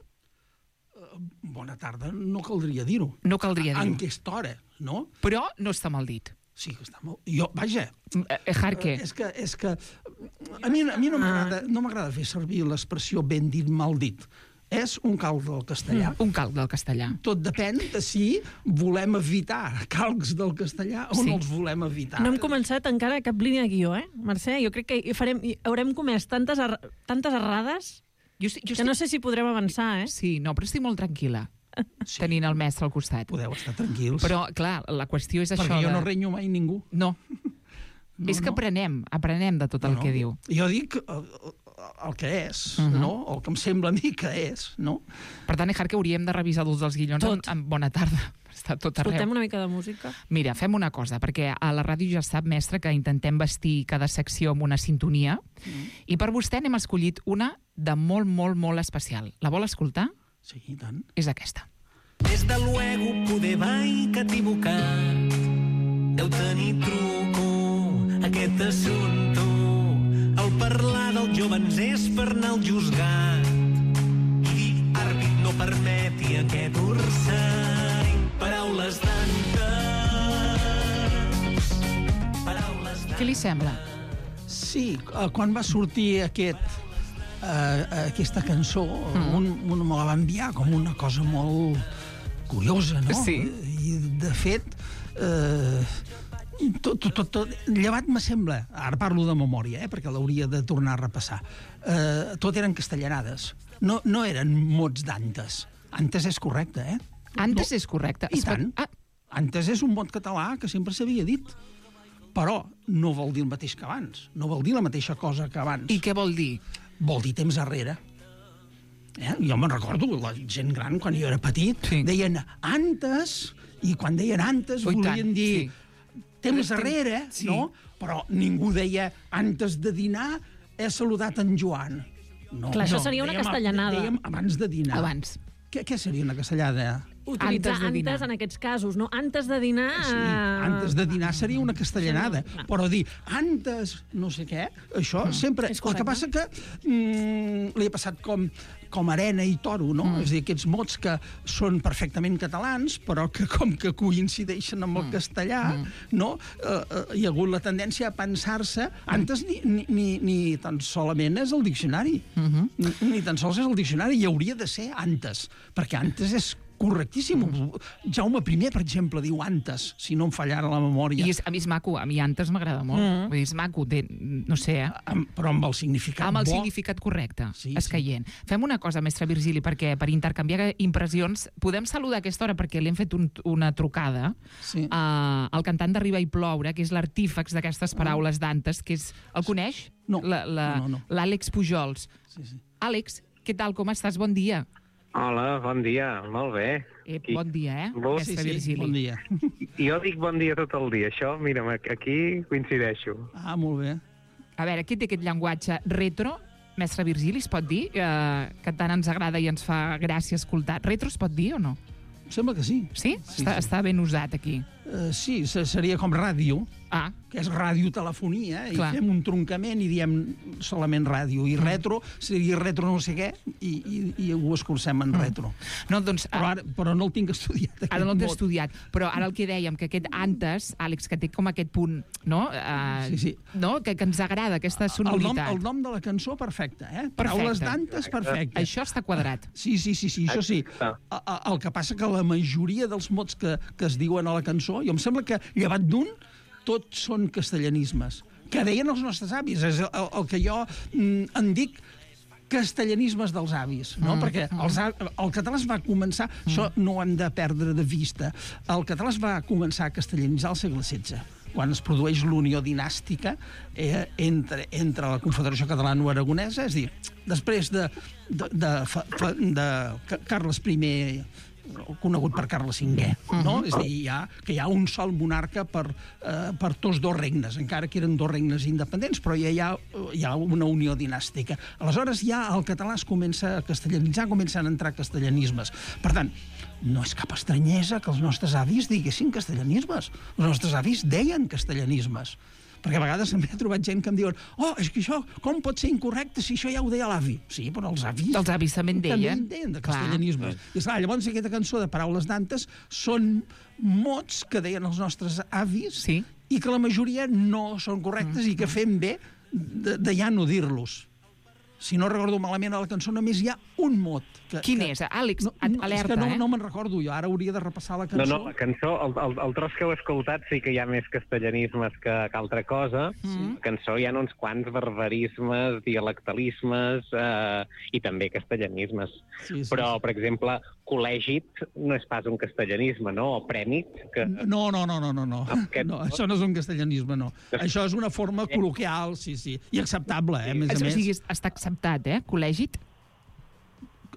Bona tarda no caldria dir-ho. No caldria dir-ho. En aquesta hora, no? Però no està mal dit. Sí que està molt... Jo, vaja... Eh, Jarque. És que, és que a mi, a mi no m'agrada no m'agrada fer servir l'expressió ben dit, mal dit. És un calc del castellà. Mm, un calc del castellà. Tot depèn de si volem evitar calcs del castellà o sí. no els volem evitar. No hem començat encara cap línia de guió, eh, Mercè? Jo crec que farem, haurem comès tantes, er, tantes errades jo, jo que estic... no sé si podrem avançar, eh? Sí, no, però estic molt tranquil·la, sí. tenint el mestre al costat. Podeu estar tranquils. Però, clar, la qüestió és Perquè això jo de... no renyo mai ningú. No. no és que no. aprenem, aprenem de tot el no, que no. diu. Jo dic el, el que és, uh -huh. no? El que em sembla a mi que és, no? Per tant, Ejar, que hauríem de revisar tots els guions amb, amb bona tarda. Està tot arreu. Escoltem una mica de música. Mira, fem una cosa, perquè a la ràdio ja sap, mestre, que intentem vestir cada secció amb una sintonia, mm. i per vostè n'hem escollit una de molt, molt, molt especial. La vol escoltar? Sí, i tant. És aquesta. Des de luego poder vai que equivocat deu tenir truco aquest assumpte. El parlar dels jovens és per anar al juzgat i dir àrbit no permeti aquest orsany. Paraules d'antes, paraules d'antes. Què li sembla? Sí, eh, quan va sortir aquest, eh, aquesta cançó, mm. un, un me la va enviar com una cosa molt curiosa, no? Sí. I, de fet, eh, tot, tot, tot, tot, llevat me sembla, ara parlo de memòria, eh, perquè l'hauria de tornar a repassar, eh, tot eren castellanades, no, no eren mots d'antes. Antes és correcte, eh? Antes no. és correcte. I Es fa- tant. Ah, Antes és un mot català que sempre s'havia dit, però no vol dir el mateix que abans, no vol dir la mateixa cosa que abans. I què vol dir? Vol dir temps arrere. Eh? Jo me'n recordo, la gent gran, quan jo era petit, Sí. deien antes, i quan deien antes Ui, volien tant, dir sí. temps arrere, Sí. no? Però ningú deia antes de dinar he saludat en Joan. No, Clar, això no, seria una dèiem- castellanada. Dèiem abans de dinar. Abans. Què, què seria una castellada? Utilitzar Antes de dinar. antes en aquests casos, no? Antes de dinar... Sí, eh, antes de dinar seria una castellanada, Sí, no, no. però dir antes no sé què, això sempre... és El que correcte. passa que mm, li ha passat com, com arena i toro, no? Mm. És a dir, aquests mots que són perfectament catalans, però que com que coincideixen amb el castellà, no? Eh, eh, hi ha hagut la tendència a pensar-se... Antes ni, ni, ni, ni tan solament és el diccionari. ni, ni tan sols és el diccionari, hi hauria de ser antes, perquè antes és correctíssim. Jaume I, per exemple, diu antes, si no em fallara la memòria. I és, a mi és maco, a mi antes m'agrada molt. Mm. Vull dir, és maco, té, no sé, eh? Amb, però amb el significat Amb el bo. significat correcte, Sí, sí, sí. escaient. Sí. Fem una cosa, mestre Virgili, perquè per intercanviar impressions podem saludar a aquesta hora perquè li hem fet un, una trucada Sí. uh, al cantant d'Arriba i ploure, que és l'artífex d'aquestes paraules d'antes, que és... El coneix? No, La- la- no, no. L'Àlex Pujols. Sí, sí. Àlex, què tal, com estàs? Bon dia. Hola, bon dia, molt bé. Eh, Qui- bon dia, eh, Bon- mestre Sí, sí, Virgili. bon dia. Jo dic bon dia tot el dia, això, mira'm, aquí coincideixo. Ah, molt bé. A veure, què té aquest llenguatge retro? Mestre Virgili, es pot dir? Eh, que tant ens agrada i ens fa gràcia escoltar. Retro es pot dir o no? Em sembla que sí. Sí? Sí, està, sí. està ben usat aquí. Uh, sí, se- seria com ràdio, Ah, que és radiotelefonia, i Clar. fem un truncament i diem solament ràdio. I retro seria retro no sé què, i, i, i ho escurcem en retro. no, doncs... Però, ara, però no el tinc estudiat, aquest Ara no l'he mot. estudiat, però ara el que dèiem, que aquest antes, Àlex, que té com aquest punt, no? Uh, Sí, sí. no? Que, que ens agrada, aquesta El nom, sonoritat. el nom de la cançó, perfecte, eh? Paraules d'antes, perfecte. Això està quadrat. Sí, sí, sí, sí, això sí. Exacte. A- a- El que passa que la majoria dels mots que, que es diuen a la cançó, jo em sembla que, llevat d'un, tots són castellanismes. Que deien els nostres avis. És el, el, el que jo mm, en dic castellanismes dels avis, no? Mm, perquè els, a- el català es va començar, mm. això no ho hem de perdre de vista, el català es va començar a castellanitzar al segle setze, quan es produeix l'unió dinàstica eh, entre, entre la Confederació Catalana-Aragonesa, és a dir, després de, de, de, fa- fa- de Ca- Carles I, conegut per Carles cinquè, no? És a dir, hi ha, que hi ha un sol monarca per, eh, per tots dos regnes, encara que eren dos regnes independents, però ja hi ha, hi ha una unió dinàstica. Aleshores ja el català es comença a castellanitzar, comencen a entrar castellanismes. Per tant, no és cap estranyesa que els nostres avis diguessin castellanismes. Els nostres avis deien castellanismes. Perquè a vegades també he trobat gent que em diuen oh, és que això, com pot ser incorrecte si això ja ho deia l'avi? Sí, però els avis... Els avis també en També deien. en deien de Clar. castellanismes. I esclar, llavors aquesta cançó de Paraules d'antes són mots que deien els nostres avis Sí. i que la majoria no són correctes i que fem bé de, de ja no dir-los. Si no recordo malament a la cançó, només hi ha un mot. Que, Quin que... és? Àlex, No, no, alerta, és que no, eh? no me'n recordo jo, ara hauria de repassar la No, cançó. no, la cançó, el, el, el tros que heu escoltat sí que hi ha més castellanismes que, que altra cosa. Mm. La cançó hi ha uns quants barbarismes, dialectalismes eh, i també castellanismes. Sí, sí, Però, sí. per exemple, col·lègit no és pas un castellanisme, no? O prèmit, que... No, no, no, no, no, no. Aquest no mot? això no és un castellanisme, no. Això és una forma col·loquial, sí, sí, i acceptable, eh, a més a O més. sigui, està acceptat, eh? Col·lègit?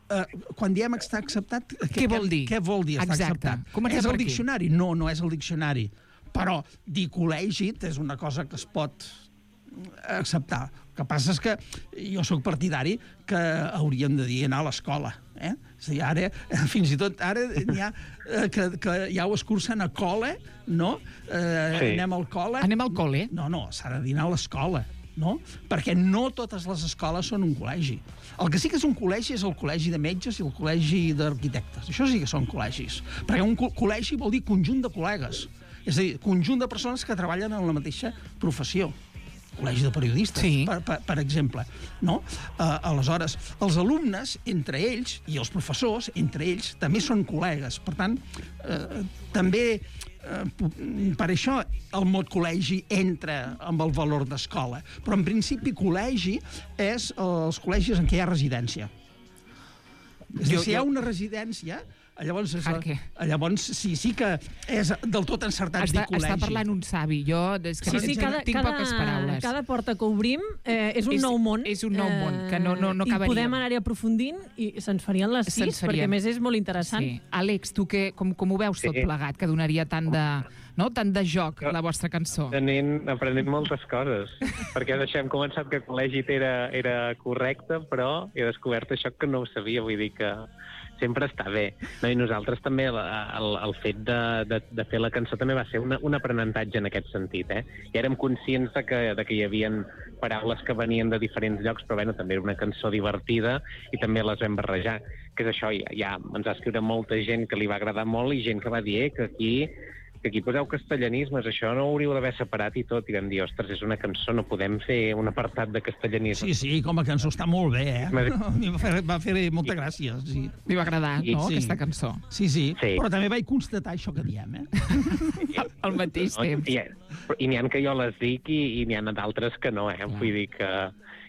Uh, quan diem està acceptat... Què vol dir? Què vol dir està Exacte. acceptat? Comencem És per el aquí. diccionari? No, no és el diccionari. Però dir col·lègit és una cosa que es pot acceptar. El que passa és que jo sóc partidari que hauríem de dir anar a l'escola. Eh? És a dir, ara, fins i tot ara n'hi ha eh, que, que ja ho escurcen a col·le, no? Eh, Sí. Anem al col·le. Anem al col·le? No, no, s'ha de dir anar a l'escola, no? Perquè no totes les escoles són un col·legi. El que sí que és un col·legi és el col·legi de metges i el col·legi d'arquitectes. Això sí que són col·legis. Perquè un co- col·legi vol dir conjunt de col·legues. És a dir, conjunt de persones que treballen en la mateixa professió. Col·legi de Periodistes, Sí. per, per, per exemple. No? Uh, aleshores, els alumnes, entre ells, i els professors, entre ells, també són col·legues. Per tant, uh, també, uh, per això, el mot col·legi entra amb el valor d'escola. Però, en principi, col·legi és els col·legis en què hi ha residència. És a dir, Jo- si hi ha jo- una residència, llavors, és, Per què? llavors sí, sí que és del tot encertat Està, dir col·legi. està parlant un savi. Jo és que Sí, no, sí, cada, tinc cada, poques paraules. cada porta que obrim eh, és un És- nou món. és un nou món, que no- no- no I acabaríem. podem anar-hi aprofundint i se'ns farien les sis, Se'ns farien. perquè a més és molt interessant. Sí. Àlex, tu que, com, com ho veus tot Sí. plegat, que donaria tant de, no? tant de joc la vostra cançó? Aprenent, aprenent moltes coses, perquè això hem començat que el col·legi era, era correcte, però he descobert això que no ho sabia, vull dir que sempre està bé. No? I nosaltres també, el, el, el fet de, de, de fer la cançó també va ser una, un aprenentatge en aquest sentit, eh? I érem conscients de que, de que hi havia paraules que venien de diferents llocs, però bueno, també era una cançó divertida i també les vam barrejar, que és això, ja, ja ens va escriure molta gent que li va agradar molt i gent que va dir eh, que aquí que aquí poseu castellanismes, això no ho hauríeu d'haver separat i tot, i vam dir, ostres, és una cançó, no podem fer un apartat de castellanismes. Sí, sí, com a cançó està molt bé, eh? M'ha dit- A mi va fer, va fer molta gràcia, sí. Li va agradar, I- no, sí. aquesta cançó? Sí, sí, Sí. però també vaig constatar això que diem, eh? Al, al mateix No? temps. I, i n'hi ha que jo les dic i, i n'hi ha d'altres que no, eh? Vull dir que...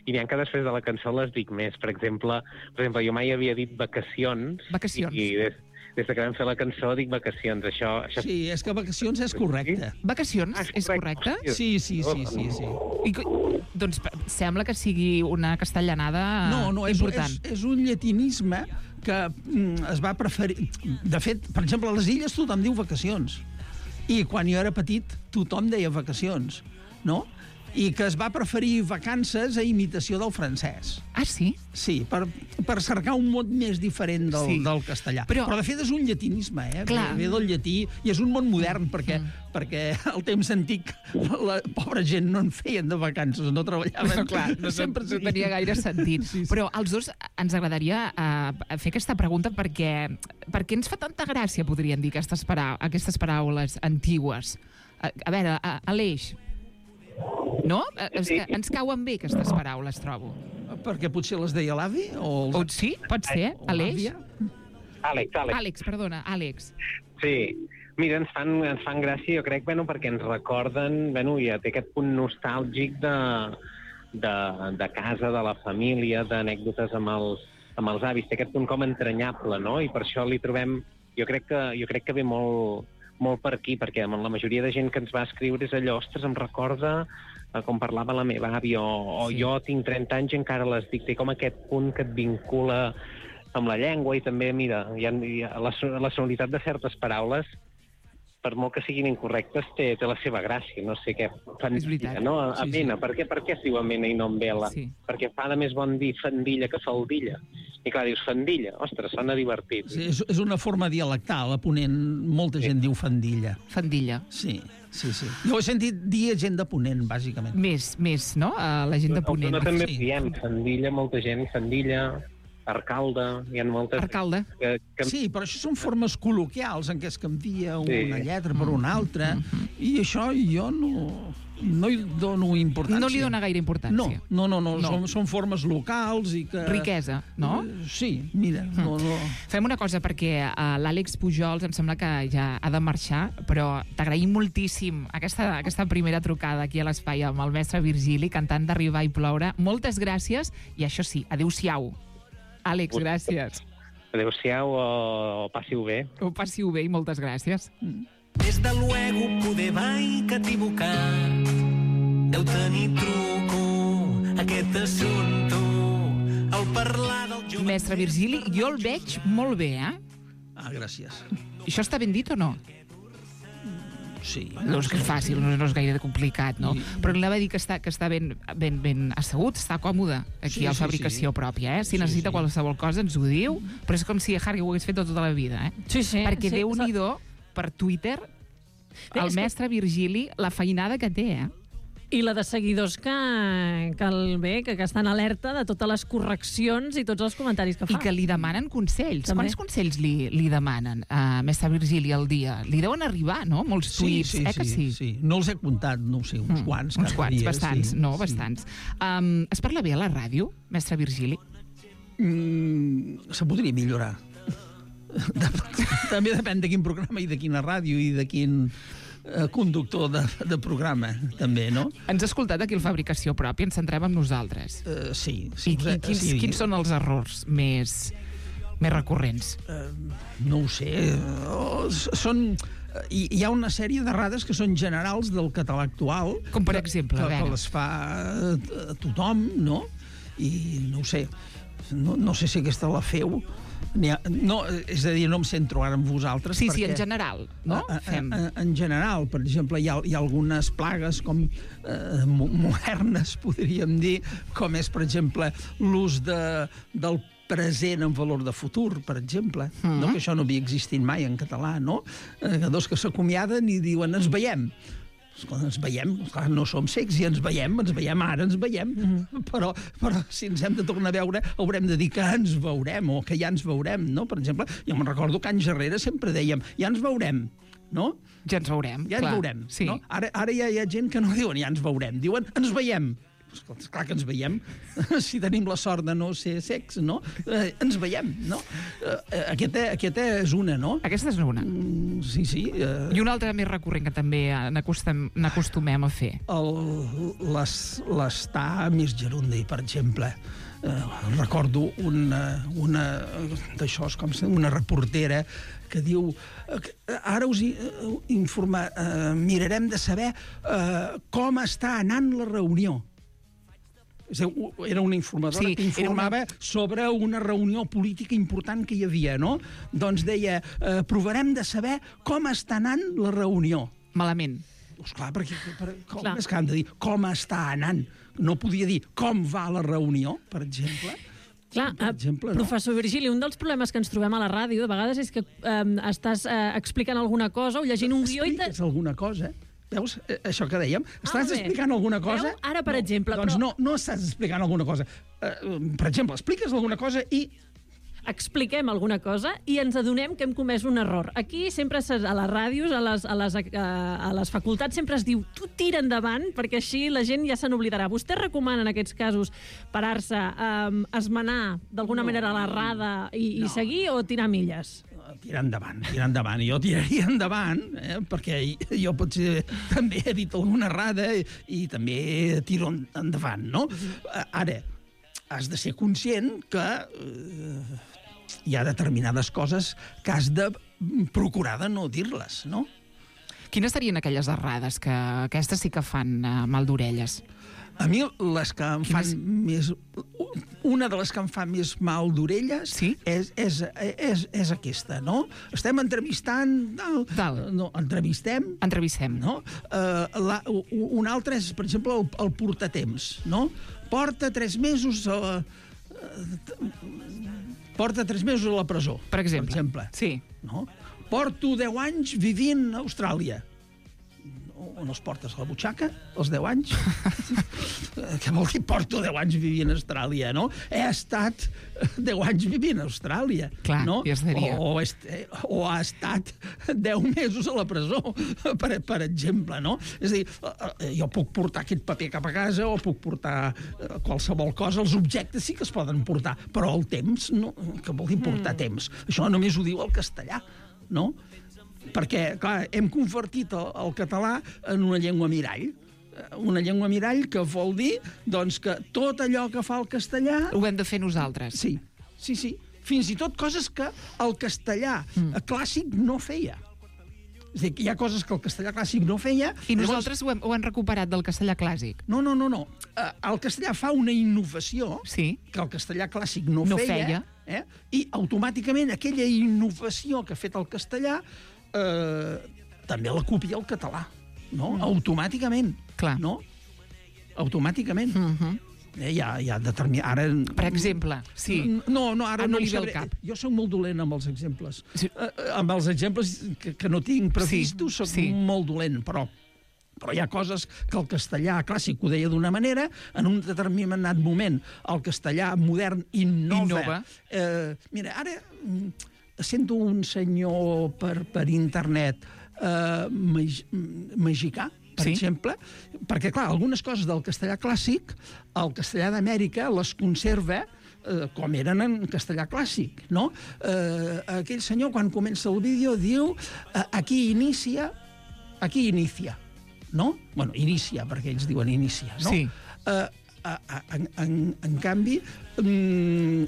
I n'hi ha que després de la cançó les dic més. Per exemple, per exemple jo mai havia dit vacacions. Vacacions. I, i des, des que vam fer la cançó dic vacacions. Això, això... Sí, és que vacacions és correcte. Vacacions, Ah, és correcte? Hòstia. Sí, sí, sí, sí, sí. I, co- doncs pe- sembla que sigui una castellanada No, no, és, important. és, és un llatinisme que mm, es va preferir... De fet, per exemple, a les illes tothom diu vacacions. I quan jo era petit, tothom deia vacacions, no? I que es va preferir vacances a imitació del francès. Ah, sí? Sí, per, per cercar un mot més diferent del, Sí. del castellà. Però- Però, de fet, és un llatinisme, eh? Clar. Ve del llatí i és un món modern, perquè, mm. perquè al temps antic la pobra gent no en feien de vacances, no treballaven. No, clar, no, Sempre no tenia gaire sentit. Sí, sí. Però als dos ens agradaria uh, fer aquesta pregunta perquè, perquè ens fa tanta gràcia, podríem dir, aquestes, parau aquestes paraules antigues. A, a veure, a, Aleix, no? És que ens cauen bé aquestes paraules, trobo. Perquè potser les deia l'avi? O, O els... sí, pot ser, o Aleix? l'àvia? Àlex, Àlex. Àlex, perdona, Àlex. Sí. Mira, ens fan, ens fan gràcia, jo crec, bueno, perquè ens recorden, bueno, ja té aquest punt nostàlgic de, de, de casa, de la família, d'anècdotes amb els, amb els avis, té aquest punt com entranyable, no? I per això li trobem, jo crec que, jo crec que ve molt, molt per aquí, perquè la majoria de gent que ens va escriure és allò, ostres, em recorda eh, com parlava la meva àvia, o, o Sí. jo tinc trenta anys i encara les dic, té com aquest punt que et vincula amb la llengua i també, mira, hi ha, hi ha la, so- la sonoritat de certes paraules, per molt que siguin incorrectes, té, té la seva gràcia, no sé què. És veritat. No? A, a Sí, sí. Mena, per què, per què es diu amena i no en vela? Sí. Perquè fa de més bon dir fandilla que faldilla. I clar, dius fandilla, ostres, sona divertit. Sí, és, és una forma dialectal, a Ponent molta gent diu fandilla. Fandilla. Sí, sí, sí. Jo he sentit dir gent de Ponent, bàsicament. Més, més, no? Uh, la gent de Ponent. No, també Sí. diem fandilla, molta gent, fandilla, arcalde, hi ha moltes... Arcalde. Que, que... Sí, però això són formes col·loquials en què es canvia Sí. una lletra per una altra, i això jo no, no hi dono importància. No li dona gaire No, importància. no, no, no, No. Són, són formes locals i que... Riquesa, no? Eh, Sí, mira, no, no... Fem una cosa, perquè uh, l'Àlex Pujols em sembla que ja ha de marxar, però t'agraïm moltíssim aquesta, aquesta primera trucada aquí a l'espai amb el mestre Virgili, cantant d'Arribar i ploure. Moltes gràcies, i això sí, adéu-siau. Àlex, gràcies. Adéu-siau o, o passi-ho bé. Ho passiu bé i moltes gràcies. Des de luego poder va equivocar. Deu tenir truco aquest assumpte. Al parlar del jove... Mestre Virgili, jo el veig molt bé, eh? Ah, gràcies. Això està ben dit o no? Sí. No és que és fàcil, no, no és gaire complicat, no? Però anava a dir que està, que està ben, ben, ben assegut, està còmode aquí Sí, a la sí, fabricació sí. pròpia, eh? Si Sí, necessita sí. qualsevol cosa ens ho diu, però és com si Harry ho hagués fet tota la vida, eh? Sí, sí. Perquè sí, Déu-n'hi-do, per Twitter, Bé, el és que- mestre Virgili, la feinada que té, eh? I la de seguidors que, que, el, bé, que, que estan alerta de totes les correccions i tots els comentaris que fa. I que li demanen consells. També. Quants consells li, li demanen a mestre Virgili al dia? Li deuen arribar, no? Molts tuits, sí, sí, eh que sí? sí, sí. No els he comptat, no ho sé, uns Mm, quants uns cada quants, dia. bastants, sí, no? sí. Bastants. Um, es parla bé a la ràdio, mestre Virgili? Mm, se podria millorar. També depèn de quin programa i de quina ràdio i de quin eh, conductor de, de programa, també, no? Ens ha escoltat aquí el Fabricació Pròpia, ens centrem en nosaltres. Uh, sí. I, sí, i quins, sí. quins són els errors més, més recurrents? Uh, no ho sé. Uh, són... Hi, hi ha una sèrie d'errades que són generals del català actual. Com per que, exemple, a que, veure. que les fa a tothom, no? I no ho sé. No, no sé si aquesta la feu. Ha, no, és a dir, no em centro ara en vosaltres. Sí, perquè, sí, en general, no? A, a, Fem. a, en general, per exemple, hi ha, hi ha algunes plagues com eh, modernes, podríem dir, com és, per exemple, l'ús de, del present en valor de futur, per exemple, mm-hmm. no? Que això no havia existit mai en català, no? Eh, dos que s'acomiaden i diuen ens veiem. Escolta, ens veiem, clar, no som cecs i ens veiem, ens veiem ara, ens veiem, mm-hmm. però, però si ens hem de tornar a veure haurem de dir que ens veurem o que ja ens veurem, no? Per exemple, jo me'n recordo que anys darrere sempre dèiem ja ens veurem, no? Ja ens veurem, Ja clar. ens veurem, Sí. no? Ara, ara ja hi ha gent que no diuen ja ens veurem, diuen ens veiem. Escolta, clar que ens veiem, si tenim la sort de no ser secs, no? Eh, ens veiem, no? Eh, aquesta, aquesta és una, no? Aquesta és una. Mm, sí, sí. Eh, I una altra més recurrent que també n'acostum- n'acostumem a fer. el- les, l'estar més gerundi, per exemple. Eh, recordo una, una d'això, com se- una reportera que diu eh, que ara us i- eh, informa, eh, mirarem de saber eh, com està anant la reunió. És a dir, era una informadora Sí, que informava era una... sobre una reunió política important que hi havia, no? Doncs deia, eh, provarem de saber com està anant la reunió. Malament. Doncs clar, perquè per, com Clar. és que han de dir com està anant? No podia dir com va la reunió, per exemple. Clar, per exemple, no? professor Virgili, un dels problemes que ens trobem a la ràdio de vegades és que eh, estàs eh, explicant alguna cosa o llegint un guió i... Te... Expliques alguna cosa. Veus, eh, això que dèiem? Estàs bé. explicant alguna cosa... Veu? Ara, per no, exemple, Doncs però- no, no estàs explicant alguna cosa. Uh, per exemple, expliques alguna cosa i... expliquem alguna cosa i ens adonem que hem comès un error. Aquí sempre a les ràdios, a les, a les, a les facultats, sempre es diu tu tira endavant, perquè així la gent ja se n'oblidarà. Vostè recomana en aquests casos parar-se, um, esmenar d'alguna No. manera l'errada i, i seguir o tirar milles? Tirar endavant, tirar endavant. Jo tiraria endavant, eh, perquè jo potser també he dit alguna errada i, i també tiro endavant, no? Ara, has de ser conscient que eh, hi ha determinades coses que has de procurar de no dir-les, no? Quines serien aquelles errades que aquestes sí que fan uh, mal d'orelles? A mi les que em fan més... Una de les que em fa més mal d'orelles Sí? és, és, és, és aquesta, no? Estem entrevistant... No, Tal. no entrevistem... Entrevistem. No? Uh, la, un altre és, per exemple, el, el portatemps, no? Porta tres mesos a... Porta tres mesos a la presó, Per exemple. Per exemple. Sí. No? Porto deu anys vivint a Austràlia. On els portes a la butxaca, els deu anys? Què vol dir porto deu anys vivint a Austràlia, no? He estat deu anys vivint a Austràlia. Clar, no? ja seria. O, o, est, o ha estat deu mesos a la presó, per, per exemple, no? És a dir, jo puc portar aquest paper cap a casa o puc portar qualsevol cosa. Els objectes sí que es poden portar, però el temps, no? Què vol dir portar mm. temps? Això només ho diu el castellà, no? Perquè, clar, hem convertit el, el català en una llengua mirall. Una llengua mirall que vol dir doncs, que tot allò que fa el castellà... Ho hem de fer nosaltres. Sí, sí, sí. Fins i tot coses que el castellà mm. clàssic no feia. És a dir, hi ha coses que el castellà clàssic no feia... I nosaltres ho hem, ho hem recuperat del castellà clàssic. No, no, no, no. El castellà fa una innovació sí. que el castellà clàssic no, no feia, feia. Eh? I automàticament aquella innovació que ha fet el castellà eh, també la copia el català, no? Mm. Automàticament. Clar. No? Automàticament. Mm-hmm. Eh, hi ha, hi ha determin... Ara... Per exemple, sí. No, no, ara ah, no, no li ve sabré. al cap. Jo soc molt dolent amb els exemples. Sí. Uh, amb els exemples que, que no tinc previstos, sí, soc sí. molt dolent, però Però hi ha coses que el castellà clàssic ho deia d'una manera, en un determinat moment el castellà modern innova. Innova. Eh, mira, ara sento un senyor per, per internet eh, mag, magicà, per sí? exemple, perquè, clar, algunes coses del castellà clàssic, el castellà d'Amèrica les conserva eh, com eren en castellà clàssic, no? Eh, aquell senyor, quan comença el vídeo, diu eh, aquí inicia, aquí inicia, no? Bueno, inicia, perquè ells diuen inicia, no? Sí. Eh, en, en, en canvi, en,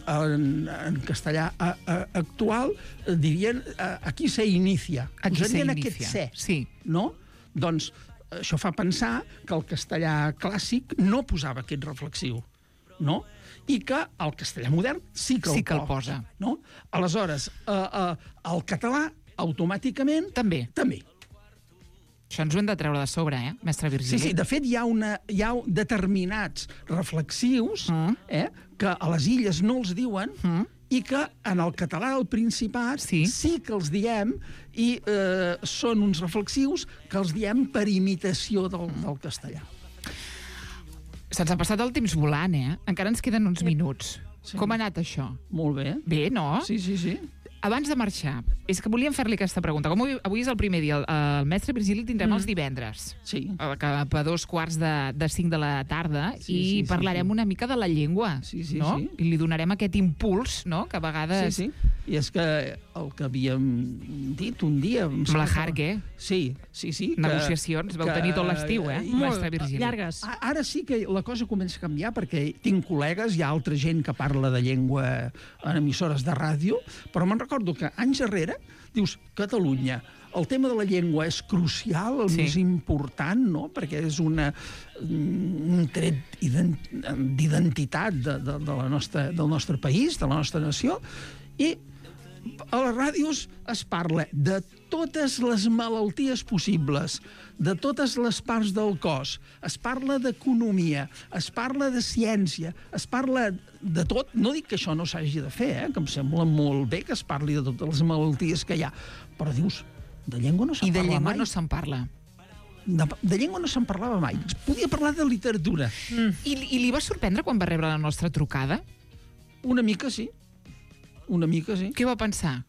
en castellà a, a, actual dirien aquí se inicia. Aquí se inicia, aquest se, sí. No? Doncs això fa pensar que el castellà clàssic no posava aquest reflexiu, no? I que el castellà modern sí que el, sí que el posa. posa. No? Aleshores, eh, eh, el català, automàticament... També. També. Això ens ho hem de treure de sobre, eh, mestre Virgili? Sí, sí, de fet hi ha, una, hi ha determinats reflexius mm. eh, que a les illes no els diuen mm. i que en el català del Principat sí, sí que els diem i eh, són uns reflexius que els diem per imitació del, del castellà. Se'ns ha passat el temps volant, eh? Encara ens queden uns minuts. Sí. Com ha anat això? Molt bé. Bé, no? Sí, sí, sí. Abans de marxar, és que volíem fer-li aquesta pregunta. Com avui, avui és el primer dia, el, el mestre Virgili el tindrem mm. els divendres. Sí. Cap a dos quarts de, de cinc de la tarda, sí, i sí, parlarem sí, sí. una mica de la llengua. Sí, sí, no? sí. I li donarem aquest impuls, no?, que a vegades... Sí, sí. I és que el que havíem dit un dia... Amb la Harque. Sí, sí, sí. Negociacions. Que, Vau tenir tot l'estiu, eh, i, mestre Virgili? Llargues. Ara sí que la cosa comença a canviar, perquè tinc col·legues, hi ha altra gent que parla de llengua en emissores de ràdio, però me'n recordo que anys darrere dius, Catalunya, el tema de la llengua és crucial, el sí. més important, no?, perquè és una, un tret d'identitat de, de, de la nostra, del nostre país, de la nostra nació, i a les ràdios es parla de totes les malalties possibles, de totes les parts del cos, es parla d'economia, es parla de ciència, es parla de tot. No dic que això no s'hagi de fer, eh? Que em sembla molt bé que es parli de totes les malalties que hi ha, però dius, de llengua no se'n parla mai. I de llengua no se'n parla. De, de llengua no se'n parlava mai. Podia parlar de literatura. Mm. I, I li va sorprendre quan va rebre la nostra trucada? Una mica, sí. Una mica, sí. Què va pensar?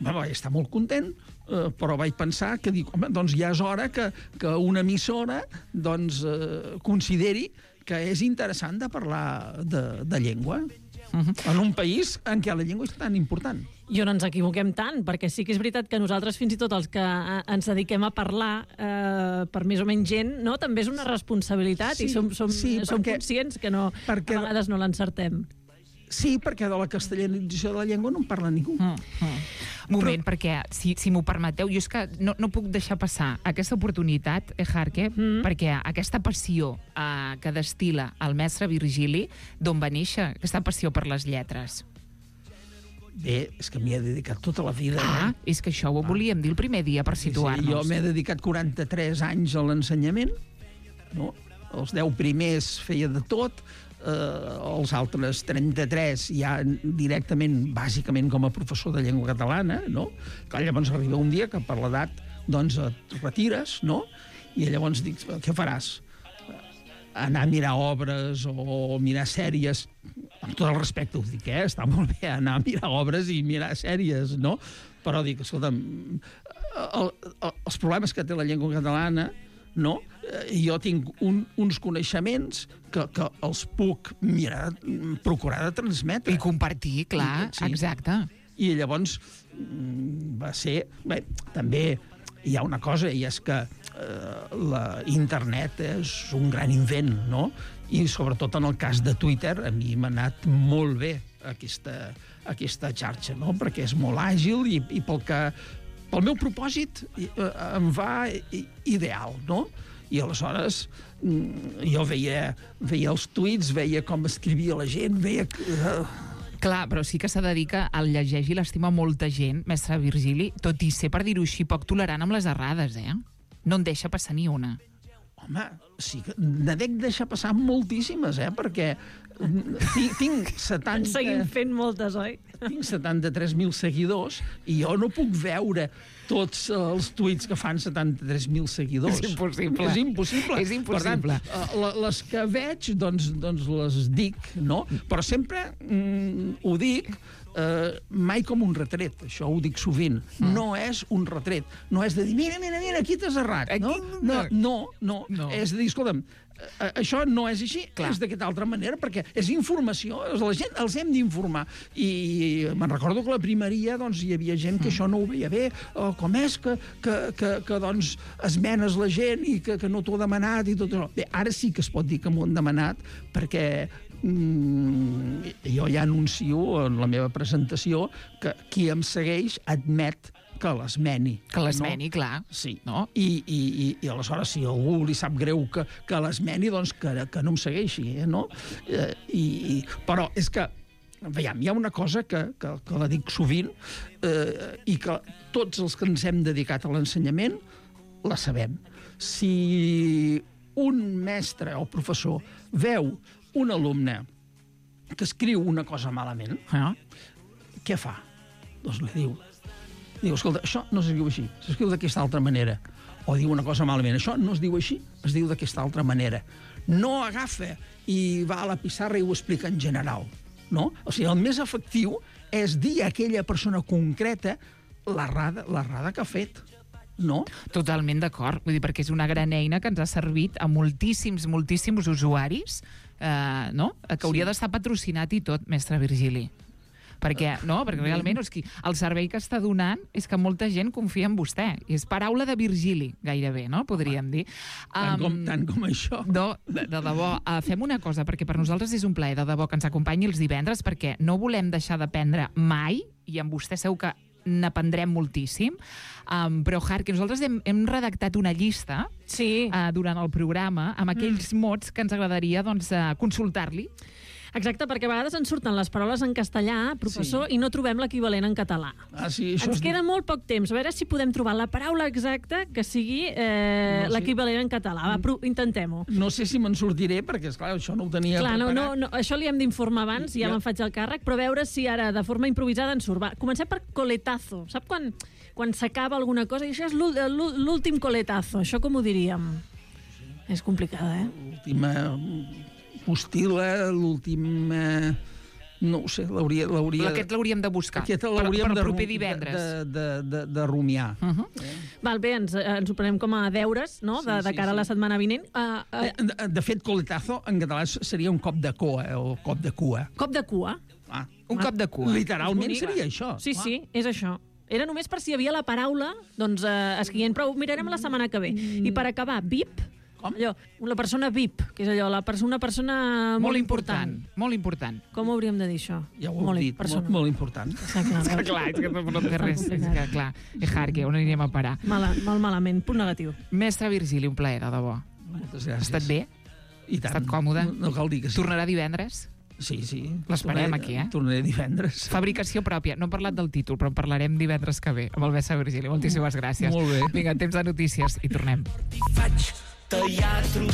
Va, vaig estar molt content, eh, però vaig pensar que dic, home, doncs ja és hora que, que una emissora doncs, eh, consideri que és interessant de parlar de, de llengua uh-huh. en un país en què la llengua és tan important. I on ens equivoquem tant, perquè sí que és veritat que nosaltres, fins i tot els que ens dediquem a parlar eh, per més o menys gent, no? També és una responsabilitat sí, i som, som, sí, som perquè, conscients que no, perquè, a vegades no l'encertem. Sí, perquè de la castellanització de la llengua no en parla ningú. Mm, mm. Moment, però... perquè, si, si m'ho permeteu, jo és que no, no puc deixar passar aquesta oportunitat, eh, Harque, mm. perquè aquesta passió eh, que destila el mestre Virgili, d'on va néixer aquesta passió per les lletres? Bé, és que m'hi he dedicat tota la vida. Ah, eh? és que això ho volíem dir el primer dia per situar-nos. Sí, sí, jo m'he dedicat quaranta-tres anys a l'ensenyament, no? Els deu primers feia de tot, eh, els altres trenta-tres ja directament, bàsicament com a professor de llengua catalana, no? Clar, llavors arriba un dia que per l'edat doncs et retires, no? I llavors dic, què faràs? Anar a mirar obres o mirar sèries, amb tot el respecte ho dic, eh? Està molt bé anar a mirar obres i mirar sèries, no? Però dic, escolta'm, el, el, els problemes que té la llengua catalana, no? Jo tinc un, uns coneixements que, que els puc mirar, procurar de transmetre. I compartir, clar, sí. Exacte. I llavors va ser... Bé, també hi ha una cosa, i és que eh, la internet és un gran invent, no? I sobretot en el cas de Twitter, a mi m'ha anat molt bé aquesta, aquesta xarxa, no? Perquè és molt àgil i, i pel que... Pel meu propòsit eh, em va ideal, no? I aleshores jo veia, veia els tuits, veia com escrivia la gent, veia... Clar, però sí que s'ha de dir que el llegeix i l'estima molta gent, mestre Virgili, tot i ser, per dir-ho així, poc tolerant amb les errades, eh? No en deixa passar ni una. Home, sí que ne dec deixar passar moltíssimes, eh? Perquè tinc, tinc setanta... En seguim fent moltes, oi? Tinc setanta-tres mil seguidors i jo no puc veure tots els tuits que fan setanta-tres mil seguidors. És impossible. És impossible. És impossible. Per tant, les que veig, doncs, doncs les dic, no? Però sempre mm, ho dic eh, mai com un retret, això ho dic sovint. Mm. No és un retret. No és de dir, mira, mira, mira, aquí t'has errat. No? No, no, no, no. És de dir, escolta'm, eh, això no és així, clar. És d'aquesta altra manera, perquè és informació, la gent els hem d'informar. I me'n recordo que a la primeria doncs, hi havia gent que mm. això no ho veia bé, o com és que, que, que, que doncs, esmenes la gent i que, que no t'ho ha demanat i tot això. Bé, ara sí que es pot dir que m'ho han demanat, perquè mm, jo ja anuncio en la meva presentació que qui em segueix admet que l'esmeni. Que l'esmeni, no? Clar. Sí. No? I, i, i, I aleshores, si algú li sap greu que, que l'esmeni, doncs que, que no em segueixi, eh, no? Eh, i, i, però és que, veiem, hi ha una cosa que, que, que la dic sovint eh, i que tots els que ens hem dedicat a l'ensenyament la sabem. Si un mestre o professor veu un alumne que escriu una cosa malament, eh, què fa? Doncs li diu, diu, escolta, això no s'escriu així, s'escriu d'aquesta altra manera. O diu una cosa malament, això no es diu així, es diu d'aquesta altra manera. No agafa i va a la pissarra i ho explica en general, no? O sigui, el més efectiu és dir a aquella persona concreta l'errada, l'errada que ha fet, no? Totalment d'acord, vull dir, perquè és una gran eina que ens ha servit a moltíssims, moltíssims usuaris, eh, no? Que hauria sí. d'estar patrocinat i tot, mestre Virgili. Perquè, no? Perquè realment és que el servei que està donant és que molta gent confia en vostè. És paraula de Virgili, gairebé, no? Podríem dir. Tant, um, com, tant com això. No, de, de debò. Uh, fem una cosa, perquè per nosaltres és un plaer de debò que ens acompanyi els divendres, perquè no volem deixar d'aprendre mai, i amb vostè segur que n'aprendrem moltíssim, um, però, Harky, nosaltres hem, hem redactat una llista sí. uh, durant el programa amb aquells mm. mots que ens agradaria doncs, uh, consultar-li. Exacte, perquè a vegades ens surten les paraules en castellà, professor, sí. i no trobem l'equivalent en català. Ah, sí, això ens és... queda molt poc temps. A veure si podem trobar la paraula exacta que sigui eh, no sé. l'equivalent en català. Va, intentem-ho. No sé si me'n sortiré, perquè, esclar, això no ho tenia clar, preparat. No, no, no, això li hem d'informar abans, ja, ja me'n faig el càrrec, però a veure si ara, de forma improvisada, ens surt. Va, comencem per coletazo. Sap quan, quan s'acaba alguna cosa? I això és l'últim coletazo. Això com ho diríem? Sí. És complicada, eh? L'última... postila, l'últim... Eh, no ho sé, l'hauria... Aquest l'hauríem de buscar, Aquest per, per el proper divendres. De, de, de, de rumiar. Uh -huh. eh? Val, bé, ens, ens ho prenem com a deures, no?, de, de cara sí, sí. a la setmana vinent. Uh, uh... De, de fet, coletazo, en català seria un cop de cua, o cop de cua. Cop de cua? Ah. Un ah. cop de cua. Literalment seria això. Sí, sí, és això. Era només per si hi havia la paraula, doncs, uh, escrient, però ho mirarem la setmana que ve. Mm. I per acabar, V I P... Com? Allò, la persona V I P, que és allò, la persona, una persona molt, molt important. important. Molt important. Com hauríem de dir això? Ja ho heu dit, molt, molt important. Està clar, Està clar, és que no té res. És que, clar, és Harky, on anirem a parar? Mala, molt malament, punt negatiu. Mestre Virgili, un plaer, de debò. Moltes gràcies. Ha estat bé? I tant. Ha estat còmode? No, no cal dir que sí. Tornarà divendres? Sí, sí. L'esperem aquí, eh? Tornaré divendres. Fabricació pròpia. No hem parlat del títol, però en parlarem divendres que ve, amb el mestre Virgili. Moltíssimes gràcies. Molt bé. Vinga, temps de notícies i tornem. Faig teatre